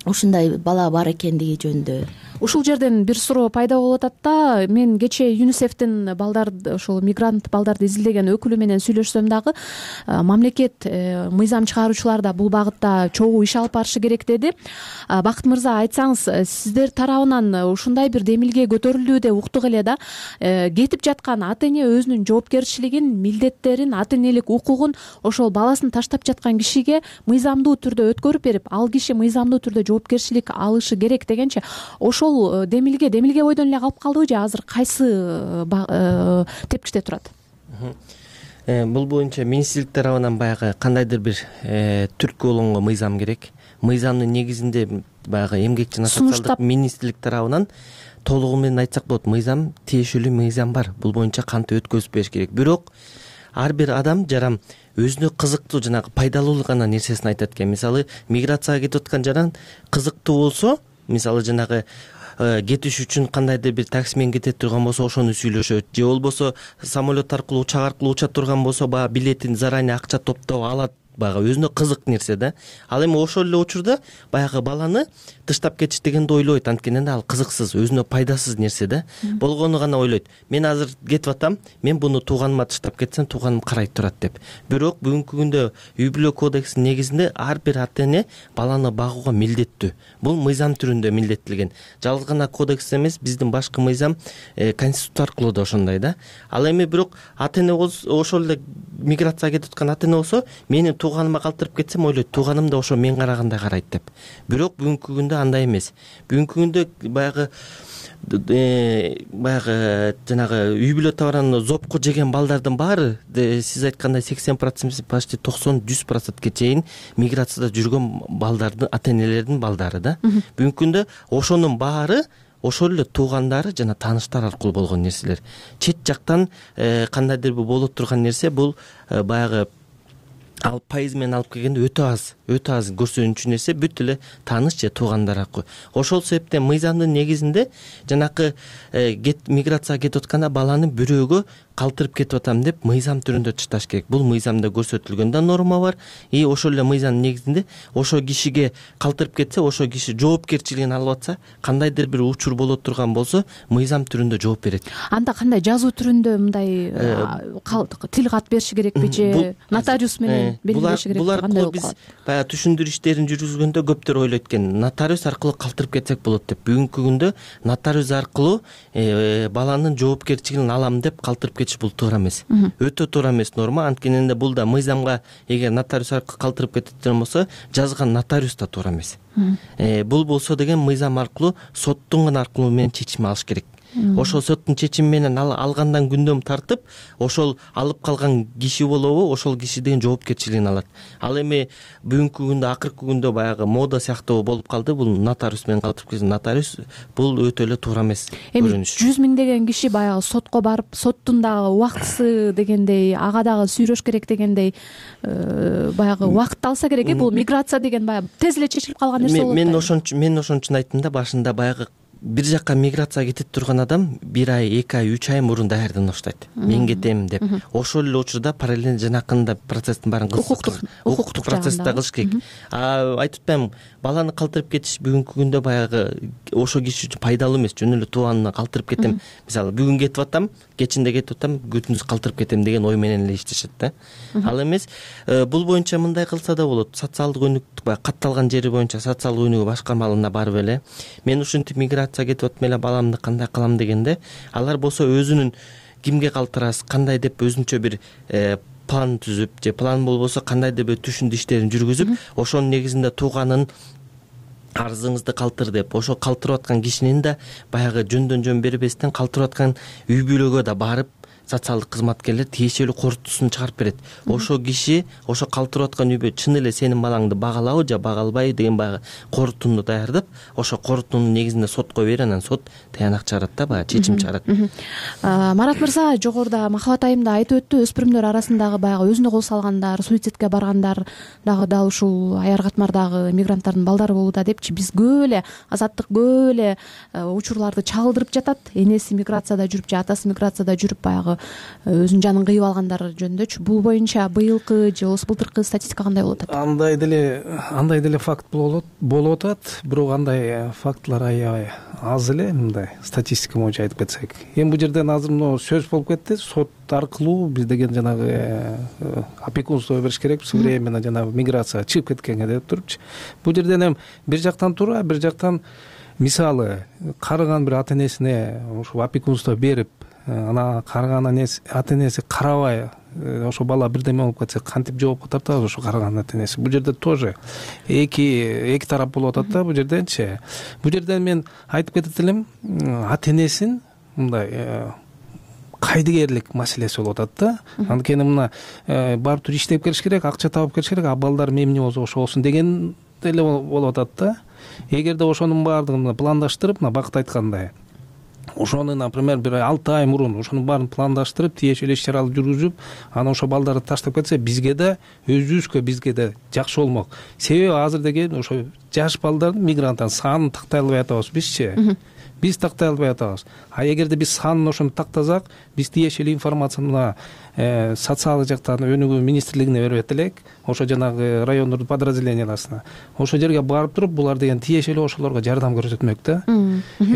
ушундай бала бар экендиги жөнүндө. Ушул жерден бир суроо пайда болуп атат да. Мен кечээ ЮНИСЕФтин балдарды, ошол мигрант балдарды изилдеген өкүлү менен сүйлөшсөм дагы мамлекет, мыйзам чыгаруучулар да бул багытта чогуу иш алып барышы керек деди. Бакыт мырза, айтсаңыз, сиздер тарабынан ушундай бир демилге көтөрүлдү деп уктук эле да. Кетип жаткан ата эне өзүнүн жоопкерчилигин, милдеттерин, ата энелик укугун ошол баласын таштап жаткан кишиге мыйзамдуу түрдө өткөрүп берип, ал киши мыйзамдуу түрдө жоопкерчилик алышы керек дегенче, ошол демилге бойдон эле калып калдыбы же азыр кайсы тепкичте турат? Бул боюнча министрлик тарабынан баягы кандайдыр бир түрткү болгонго мыйзам керек. Мыйзамдын негизинде баягы эмгек жана социалдык министрлик тарабынан толугу менен айтсак болот, мыйзам, тиешелүү мыйзам бар. Бул боюнча кантип өткөзүп бериш керек. Бирок ар бир адам жаран өзүнө кызыктуу, жанагы пайдалуу гана нерсесин айтат экен. Мисалы, миграцияга кетип аткан жаран кызыктуу болсо, мисалы жанагы кетиш үчүн кандайдыр бир таксимен кете турган болсо ошону сүйлөшөт, же болбосо самолет аркылуу, учак аркылуу уча турган болсо баягы билетин заранее акча топтоп алат, баягы өзүнө кызык нерсе да. Ал эми ошол эле учурда баягы баланы тыштап кетиш дегенди ойлойт, анткени ал кызыксыз, өзүнө пайдасыз нерсе да. Болгону гана ойлойт. Мен азыр кетип атам, мен буну тууганыма тыштап кетсем, тууганым карай турат деп. Бирок бүгүнкү күндө үй бүлө кодексинин негизинде ар бир ата-эне баланы багууга милдеттүү. Бул мыйзам түрүндө милдеттелген. Жалгыз гана кодекс эмес, биздин башкы мыйзам конституция аркылуу да ошондой да. Ал эми бирок ата-эне ошол эле миграцияга кетип аткан ата-эне болсо, менин тууганыма калтырып кетсем, ойлойт, тууганым да ошо мен карагандай карайт деп. Бирок бүгүнкү күндө андай эмес. Бүгүнкү күндө баягы жанагы үй бүлө товарын зопко жеген балдардын баары, сиз айткандай 80%, почти 90-100%ке чейин миграцияда жүргөн балдардын, ата-энелердин балдары да. Бүгүнкү күндө ошонун баары ошол эле туугандары жана тааныштар аркылуу болгон нерселер. Чет жактан кандайдыр бир болуп турган нерсе, бул баягы пайыз менен алып келгенде өтө аз көрсөтүнчү нерсе бүт эле тааныш же туугандар аркылуу. Ошол себептен мыйзамдын негизинде жанакы миграцияга кетип атканда баланы бирөөгө калтырып кетип атам деп мыйзам түрүндө чышташ керек. Бул мыйзамда көрсөтүлгөн да норма бар. И ошол эле мыйзамдын негизинде ошол кишиге калтырып кетсе, ошол киши жоопкерчилигин алып атса, кандайдыр бир учур боло турган болсо, мыйзам түрүндө жооп берет. Анда кандай жазуу түрүндө мындай тил кат бериши керекпи же нотариус менен белгилеши керекпи? Булар аркылуу биз баягы түшүндүрүү иштерин жүргүзгөндө көптөр ойлойт экен, нотариус аркылуу калтырып кетсек болот деп. Бүгүнкү күндө нотариус аркылуу баланын жоопкерчилигин алам деп калтырып кетиш бул туура эмес. Өтө туура эмес норма. Анткени бул да мыйзамга эгер нотариус аркылуу калтырып кетет болсо, жазган нотариус да туура эмес. Бул болсо деген мыйзам аркылуу соттун гана аркылуу менен чечим алыш керек. Ошол соттун чечими менен алгандан күндөм тартып, ошол алып калган киши болобу, ошол киши деген жоопкерчилигин алат. Ал эми бүгүнкү күндө, акыркы күндө баягы мода сыяктуу болуп калды. Бул нотариус менен калтырып кеткен нотариус, бул өтө эле туура эмес көрүнүш. 100 миңдеген киши баягы сотко барып, соттун дагы убактысы дегендей, ага дагы сүйрөш керек дегендей, баягы убакыт алса керек. Бул миграция деген баягы тез эле чечилип калган нерсе болот. Мен ошон үчүн айттым да башында, баягы бир жакка миграцияга кетип турган адам 1 ай, 2 ай, 3 ай мурун даярдана баштайт. Мен кетем деп. Ошол эле учурда параллельно жанакында процесстин баарын укуктук процессти кылыш керек. Айтып атпаймынбы, баланы калтырып кетиш бүгүнкү күндө баягы ошол киши үчүн пайдалуу эмес. Жөн эле тууганына калтырып кетем. Мисалы, бүгүн кетип атам, кечинде кетип атам, күндүз калтырып кетем деген ой менен эле иштешет да. Ал эмес, бул боюнча мындай кылса да болот. Социалдык өнүктүк баягы катталган жери боюнча социалдык өнүгүү башкармалыгына барып эле мен ушинтип кетип атам эле, баламды кандай кылам дегенде, алар болсо өзүнүн кимге калтырасыз, кандай деп өзүнчө бир план түзүп, же план болбосо кандайдыр бир түшүндүрүү иштерин жүргүзүп, ошонун негизинде тууганын арызыңызды калтыр деп, ошол калтырып аткан кишинин да баягы жөндөн жөн бербестен калтырып аткан үй бүлөгө да барып социалдык кызматкерлер тиешелүү корутуусун чыгарып берет. Ошол киши, ошо калтырып аткан үй бүлө чын эле сенин балаңды багалабы же бага албайбы деген баягы корутууну даярдап, ошо корутуунун негизинде сотко берет, анан сот таянак чыгарат да, баягы чечим чыгарат. Марат мырза жогоруда Махабат айымда айтып өттү, өспүрүмдөр арасындагы баягы өзүнө кол салгандар, суицидке баргандар дагы ушул аяр катмардагы мигранттардын балдары болууда депчи. Биз көп эле Азаттык көп эле учурларды чагылдырып жатат. Энеси миграцияда жүрүп же атасы миграцияда жүрүп баягы өзүнүн жанын кыйып алгандар жөнүндөчү. Бул боюнча быйылкы же болбосо былтыркы статистика кандай болуп атат? Андай деле факт болуп атат, бирок андай фактылар аябай аз эле, мындай статистика боюнча айтып кетсек. Эми бул жерден азыр мына сөз болуп кетти, сот аркылуу биз деген жанагы опекунство бериш керек, временно жанагы миграция чыгып кеткенге деп турупчу. Бул жерден эми бир жактан туура, бир жактан мисалы карыган бир ата-энесине ошо опекунство берип, ана карыган ата-энеси карабай, ошо бала бирдеме болуп кетсе кантип жоопко тартабыз ошо карыган ата-энеси? Бул жерде тоже эки тарап болуп атат да бул жерденчи. Бул жерден мен айтып кетет элем, ата-энесин мындай кайдыгерлик маселеси болуп атат да. Анткени мына барып туруп иштеп келиш керек, акча табып келиш керек, а балдарым эмне болсо ошо болсун деген деле болуп атат да. Эгерде ошонун баардыгын пландаштырып, мына Бакыт айткандай, ошону, например, бир 6 ай мурун ошонун баарын пландаштырып, тиешелүү иш чараларды жүргүзүп, анан ошо балдарды таштап кетсе, бизге да, өзүбүзгө бизге да жакшы болмок. Себеби азыр деген ошо жаш балдардын, мигранттардын санын тактай албай атабыз бизчи. Биз тактай албай атабыз. А эгерде биз санын ошону тактасак, биз тиешелүү информацияны мына социалдык жактан өнүгүү министрлигине бербет элек, ошо жанагы райондордун подразделенияларына. Ошо жерге барып туруп, булар деген тиешелүү ошолорго жардам көрсөтмөк да.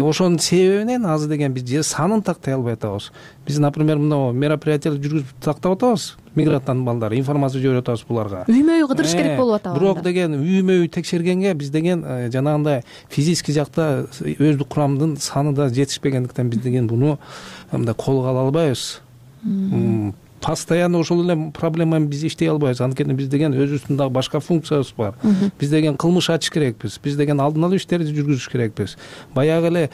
Ошонун себебинен азыр деген биз же санын тактай албай атабыз. Биз, например, мына мероприятияларды жүргүзүп тактап атабыз, мигранттардын балдары, информация жиберип атабыз буларга. Үймө-үй кыдырыш керек болуп атабы. Бирок деген үймө-үй текшергенге биз деген жанагындай физический жакта өздүк курамдын саны да жетишпегендиктен биз деген буну мындай колго ала албайбыз. Постоянно ошол эле проблеманы биз иштей албайбыз. Анткени биз деген өзүбүздүн дагы башка функциябыз бар. Биз деген кылмыш ачыш керекпиз. Биз деген алдын алуу иштерди жүргүзүш керекпиз. Баягы эле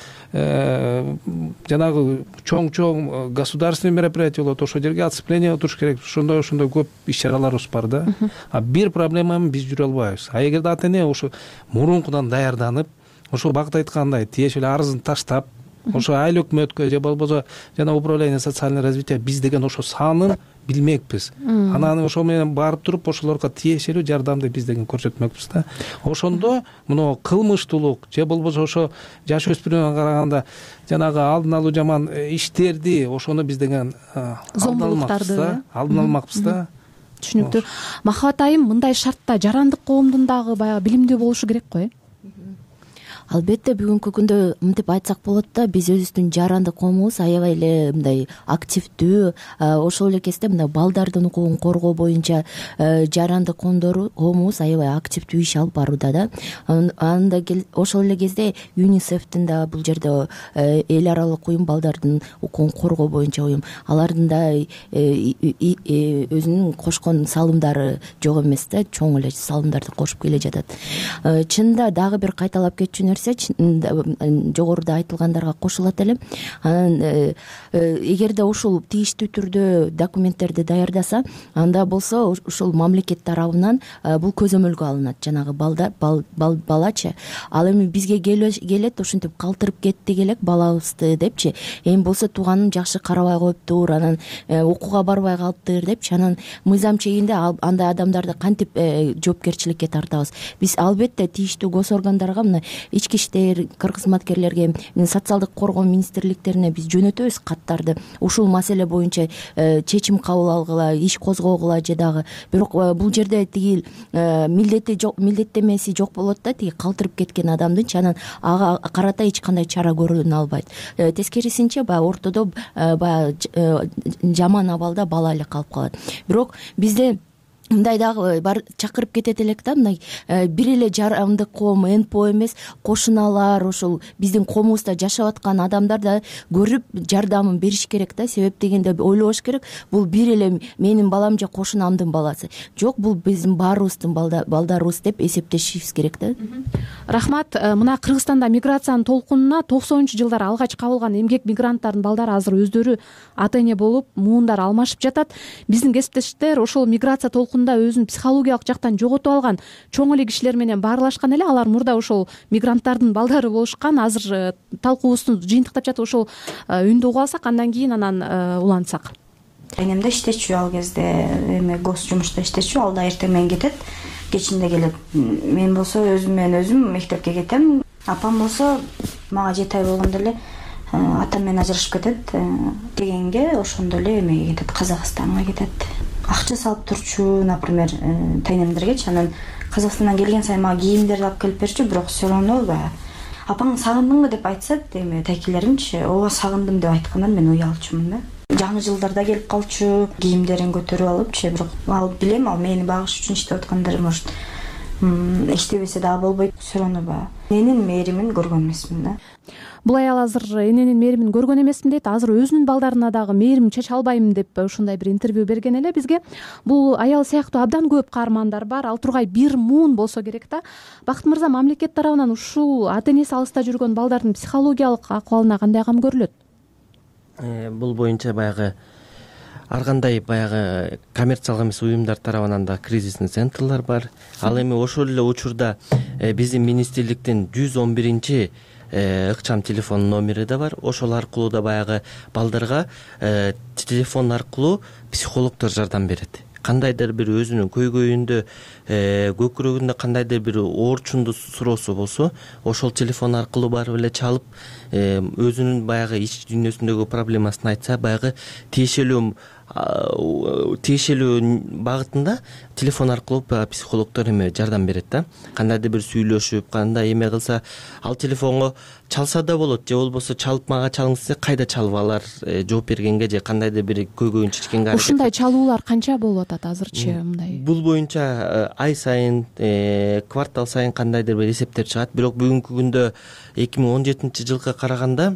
жанагы чоң государственный мероприятие болот, ошол жерге оцепление туруш керек. Ошондой көп иш чараларыбыз бар да. А бир проблеманы биз жүрө албайбыз. А эгерде ата-эне ошо мурункудан даярданып, ошол багыт айткандай тиешелүү арызын таштап, ошо айыл өкмөткө же болбосо жана управление социального развития биз деген ошо санын билмекпиз. Анан ошо менен барып туруп ошолорго тиешелүү жардамды биз деген көрсөтмөкпүз да. Ошондо мына кылмыштуулук же болбосо ошо жаш өспүрүмгө караганда жанагы алдын алуу жаман иштерди ошону биз деген алдын алмакпыз да. Түшүнүктүү. Махабат айым, мындай шартта жарандык коомдун дагы баягы билимдүү болушу керек го, Албетте бүгүнкү күндө мынтип айтсак болот да, биз өзүбүздүн жарандык коомубуз аябай эле мындай активдүү, ошол эле кезде мына балдардын укугун коргоо боюнча жарандык коомубуз аябай активдүү иш алып барууда да. Анда ошол эле кезде ЮНИСЕФтин да бул жерде эл аралык уюм, балдардын укугун коргоо боюнча уюм, алардын да өзүнүн кошкон салымдары жок эмес да, чоң эле салымдарды кошуп келе жатат. Чынында дагы бир кайталап кетчү жогоруда айтылгандарга кошулат элем. Анан эгерде ушул тийиштүү түрдө документтерди даярдаса, анда болсо ушул мамлекет тарабынан бул көзөмөлгө алынат. Жанагы балачы, ал эми бизге келет, ошентип калтырып кеттик элек балабызды депчи, эми болсо тууганын жакшы карабай коюптур, анан окууга барбай калыптыр депчи, анан мыйзам чегинде андай адамдарды кантип жоопкерчиликке тартабыз? Биз албетте тийиштүү гос органдарга, мына ички иштер, кыргыз кызматкерлерге, социалдык коргоо министрликтерине биз жөнөтөбүз каттарды. Ушул маселе боюнча чечим кабыл алгыла, иш козгогула же дагы. Бирок бул жерде тиги милдеттемеси жок болот да, тиги калтырып кеткен адамдынчы, анан ага карата эч кандай чара көрүлө албайт. Тескерисинче баягы ортодо баягы жаман абалда бала эле калып калат. Бирок бизде мындай дагы бар, чакырып кетет элек да, мындай бир эле жарандык коом, НПО эмес, кошуналар, ошол биздин коомубузда жашап аткан адамдар да көрүп жардамын бериш керек да. Себеп дегенде ойлобош керек, бул бир эле менин балам же кошунамдын баласы. Жок, бул биздин баарыбыздын балдарыбыз деп эсептешибиз керек да. Рахмат. Мына Кыргызстанда миграциянын толкунуна 90-жылдары алгач кабылган эмгек мигранттардын балдары азыр өздөрү ата-эне болуп, муундар алмашып жатат. Биздин кесиптештер ошол миграция толкунунда өзүн психологиялык жактан жоготуп алган чоң эле кишилер менен баарлашкан эле. Алар мурда ошол мигранттардын балдары болушкан. Азыр талкуубузду жыйынтыктап жатып ошол үндү угуп алсак, андан кийин анан улантсак. Энем да иштечү, ал кезде эме гос жумушта иштечү, ал да эртең менен кетет, кечинде келет. Мен болсо өзүм мектепке кетем. Апам болсо мага 7 ай болгондо эле атам менен ажырашып кетет дегенге, ошондо эле эмеге кетет, Казакстанга кетет. Акча салып турчу, например, тайнемдергечи. Анан Казакстандан келген сайын мага кийимдерди алып келип берчү, бирок все равно апаң сагындыңбы деп айтышат, эми тайкелеримчи, ооба сагындым деп айткандан мен уялчумун да. Жаңы жылдарда келип калчу, кийимдерин көтөрүп алыпчы, бирок ал билем, ал мени багыш үчүн иштеп аткандар, может иштебесе дагы болбойт, все равно эненин мээримин көргөн эмесмин да. Бул аял азыр эненин мээримин көргөн эмесмин дейт. Азыр өзүнүн балдарына дагы мээрим чече албайм деп ушундай бир интервью берген эле бизге. Бул аял сыяктуу абдан көп каармандар бар. Ал тургай бир муун болсо керек да. Бакыт мырза, мамлекет тарабынан ушул ата-энеси алыста жүргөн балдардын психологиялык акыбалына кандай кам көрүлөт? Бул боюнча баягы ар кандай баягы коммерциялык эмес уюмдар тарабынан да кризисный центрлар бар. Ал эми ошол эле учурда биздин министрликтин 111 ыкчам телефон номери да бар. Ошол аркылуу да баягы балдарга телефон аркылуу психологдор жардам берет. Кандайдыр бир өзүнүн көйгөйүндө, көкүрөгүндө кандайдыр бир оорчунду суроосу болсо, ошол телефон аркылуу барып эле чалып, өзүнүн баягы ич дүйнөсүндөгү проблемасын айтса, баягы тиешелүү багытында телефон аркылуу психологдор жардам берет да. Кандайдыр бир сүйлөшүп, кандай кылса, ал телефонго чалса да болот, же болбосо чалып мага чалыңыз десе, кайда чалып алар, жооп бергенге же кандайдыр бир көйгөйүн чечкенге аракет. Ушундай чалуулар канча болуп атат азырчы мындай? Бул боюнча ай сайын, квартал сайын кандайдыр бир эсептер чыгат. Бирок бүгүнкү күндө 2017-жылга караганда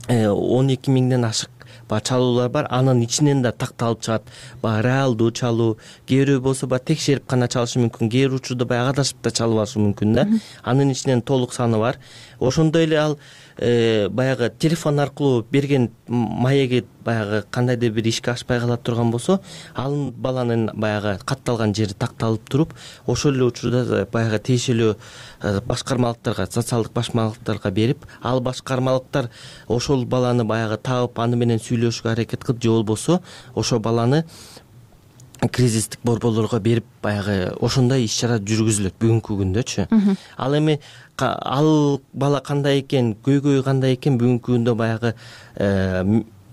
12 миңден ашык чалуулар бар. Анын ичинен да такталып чыгат. Реалдуу чалуу, кээ бирөө болсо текшерип гана чалышы мүмкүн, кээ бир учурда адашып да чалып алышы мүмкүн да. Анын ичинен толук саны бар. Ошондой эле ал баягы телефон аркылуу берген маеги баягы кандайдыр бир ишке ашпай кала турган болсо, ал баланын баягы катталган жери такталып туруп, ошол эле учурда баягы тиешелүү башкармалыктарга, социалдык башкармалыктарга берип, ал башкармалыктар ошол баланы баягы таап, аны менен сүйлөшүүгө аракет кылып, же болбосо ошол баланы кризистик борборлорго берип, баягы ошондой иш-чара жүргүзүлөт бүгүнкү күндөчү. Ал эми ал бала кандай экен, көйгөйү кандай экен, бүгүнкү күндө баягы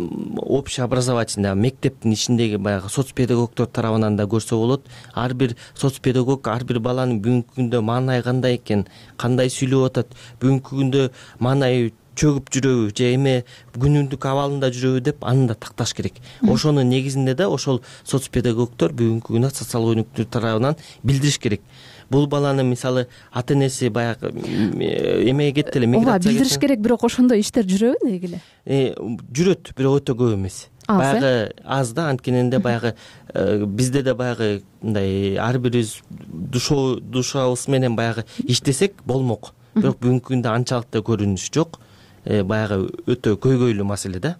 общеобразовательный мектептин ичиндеги баягы соцпедагогдор тарабынан да көрсө болот. Ар бир соцпедагог ар бир баланын бүгүнкү күндө маанайы кандай экен, кандай сүйлөп атат, бүгүнкү күндө маанайы чөгүп жүрөбү же эме күнүмдүк абалында жүрөбү деп аны да такташ керек. Ошонун негизинде да ошол соцпедагогдор бүгүнкү күндө социал өнүктүү тарабынан билдириш керек. Бул баланы мисалы ата-энеси баягы эмеге кетти эле, миграция билдириш керек, бирок ошондой иштер жүрөбү деги эле? Жүрөт, бирок өтө көп эмес. Баягы аз да, анткенде баягы бизде да баягы мындай ар бирибиз душабыз менен баягы иштесек болмок. Бирок бүгүнкү күндө анчалык да көрүнүш жок. Баягы өтө көйгөйлүү маселе да.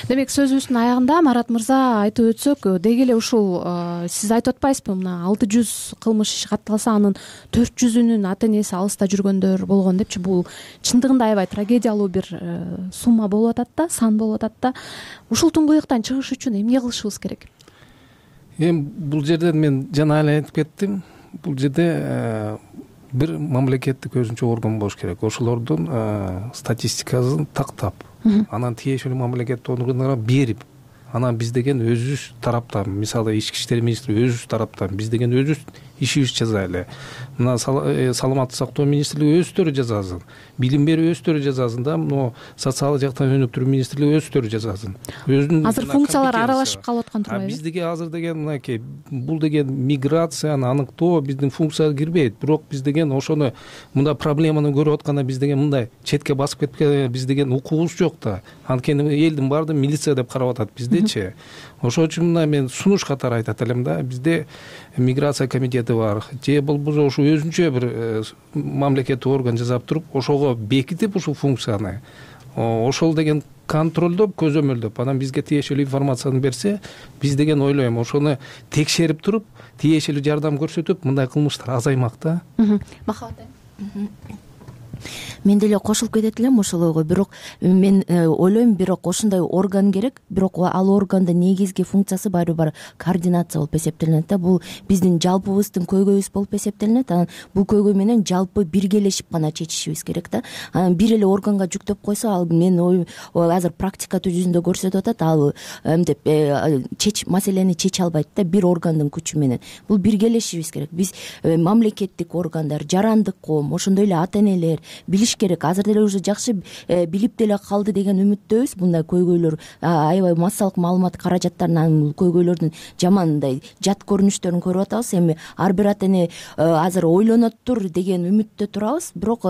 Демек сөзүбүздүн аягында Марат мырза айтып өтсөк, деги эле ушул сиз айтып атпайсызбы, мына 600 кылмыш иш катталса, анын 400-үнүн ата-энеси алыста жүргөндөр болгон депчи. Бул чындыгында аябай трагедиялуу бир сумма болуп атат да, сан болуп атат да. Ушул туңгуюктан чыгыш үчүн эмне кылышыбыз керек? Бул жерден мен жана эле айтып кеттим. Бул жерде бир мамлекеттик өзүнчө орган болуш керек. Ошолордун статистикасын тактап, анан тиешелүү мамлекеттик органдарга берип, анан биз деген өзүбүз тараптан, мисалы ички иштер министри өзүбүз тараптан, биз деген өзүбүз ишибизди жазайлы. Мына саламаттык сактоо министрлиги өзүлөрү жазасын, билим берүү өзүлөрү жазасын да, мына социалдык жактан өнүктүрүү министрлиги өзүлөрү жазасын. Азыр функциялар аралашып калып аткан турбайбы? Биз деген азыр деген мынакей, бул деген миграцияны аныктоо биздин функцияга кирбейт. Бирок биз деген ошону мындай проблеманы көрүп атканда биз деген мындай четке басып кеткен, биз деген укугубуз жок да. Анткени элдин баардыгы милиция деп карап атат биздечи. Ошол үчүн мына мен сунуш катары айтат элем да. Бизде миграция комитети бар. Же болбосо ушу өзүнчө бир мамлекеттик орган жасап туруп, ошого бекитип ушул функцияны, ошол деген контролдоп, көзөмөлдөп, анан бизге тиешелүү информацияны берсе, биз деген ойлойм, ошону текшерип туруп, тиешелүү жардам көрсөтүп, мындай кылмыштар азаймак да. Махабат Мен деле кошулуп кетет элем ошолорго. Бирок мен ойлойм, бирок ошондой орган керек, бирок ал органдын негизги функциясы баары координация болуп эсептелинет да. Бул биздин жалпыбыздын көйгөйүбүз болуп эсептелинет. Анан бул көйгөй менен жалпы биргелешип гана чечишибиз керек да. Анан бир эле органга жүктөп койсо, ал мен азыр практика жүзүндө көрсөтүп атат, ал эмдеп маселени чече албайт да бир органдын күчү менен. Бул биргелешибиз керек. Биз мамлекеттик органдар, жарандык коом, ошондой эле ата-энелер билиш керек. Азыр деле уже жакшы билип деле калды деген үмүттөбүз. Мындай көйгөйлөр аябай массалык маалымат каражаттарынан бул көйгөйлөрдүн жаман мындай жат көрүнүштөрүн көрүп атабыз. Эми ар бир ата эне азыр ойлоноттур деген үмүттө турабыз. Бирок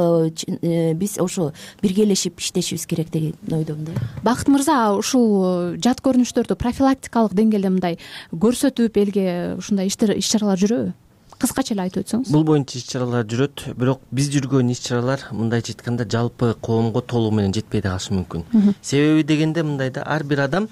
биз ошо биргелешип иштешибиз керек деген ойдомун да. Бакыт мырза, ушул жат көрүнүштөрдү профилактикалык деңгээлде мындай көрсөтүп элге ушундай иш-чаралар жүрөбү? Кыскача эле айтып өтсөңүз. Бул боюнча иш-чаралар жүрөт, бирок биз жүргөн иш-чаралар мындайча айтканда жалпы коомго толугу менен жетпей да калышы мүмкүн. Себеби дегенде мындай да, ар бир адам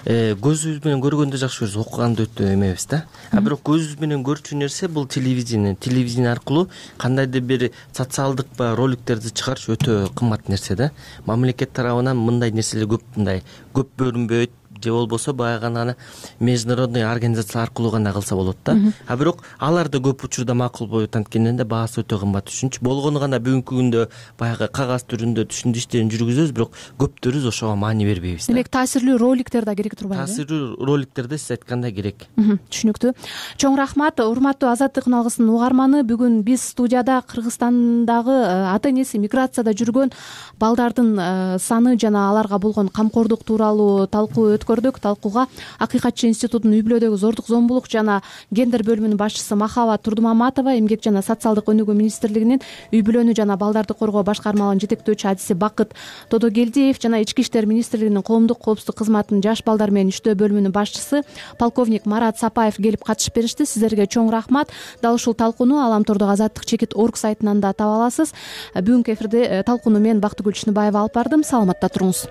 көзүбүз менен көргөндө жакшы көрөбүз, окуганды өтө эмебиз да. А бирок көзүбүз менен көрчү нерсе бул телевидение аркылуу кандайдыр бир социалдык роликтерди чыгарыш өтө кымбат нерсе да. Мамлекет тарабынан мындай нерселер көп бөлүнбөйт, же болбосо баягы гана международный организация аркылуу гана кылса болот да. А бирок алар да көп учурда макулбойт, анткени да баасы өтө кымбат үчүнчү. Болгону гана бүгүнкү күндө баягы кагаз түрүндө түшүндү иштерин жүргүзөбүз, бирок көптөрүбүз ошого маани бербейбиз. Демек таасирлүү роликтер да керек турбайбы? Таасирлүү роликтер да сиз айткандай керек. Түшүнүктүү. Чоң рахмат. Урматтуу Азаттык үн угарманы, бүгүн биз студияда Кыргызстандагы ата энеси миграцияда жүргөн балдардын саны жана аларга болгон камкордук тууралуу талкуу өткөрдүк. Талкууга Акыйкатчы институтунун үй-бүлөдөгү зордук зомбулук жана гендер бөлүмүнүн башчысы Махабат Турдумаматова, Эмгек жана социалдык өнүгүү министрлигинин үй-бүлөнү жана балдарды коргоо башкармалыгынын жетектөөчү адиси Бакыт Тодогелдиев жана Ички иштер министрлигинин коомдук коопсуздук кызматынын жаш балдар менен иштөө бөлүмүнүн башчысы полковник Марат Сапаев келип катышып беришти. Сиздерге чоң рахмат. Дал ушул талкууну Аламтордогу Азаттык-Чекит.org сайтынан да таба аласыз. Бүгүнкү эфирде талкууну мен Бактыгүл Чыныбаева алып бардым. Саламатта туруңуз.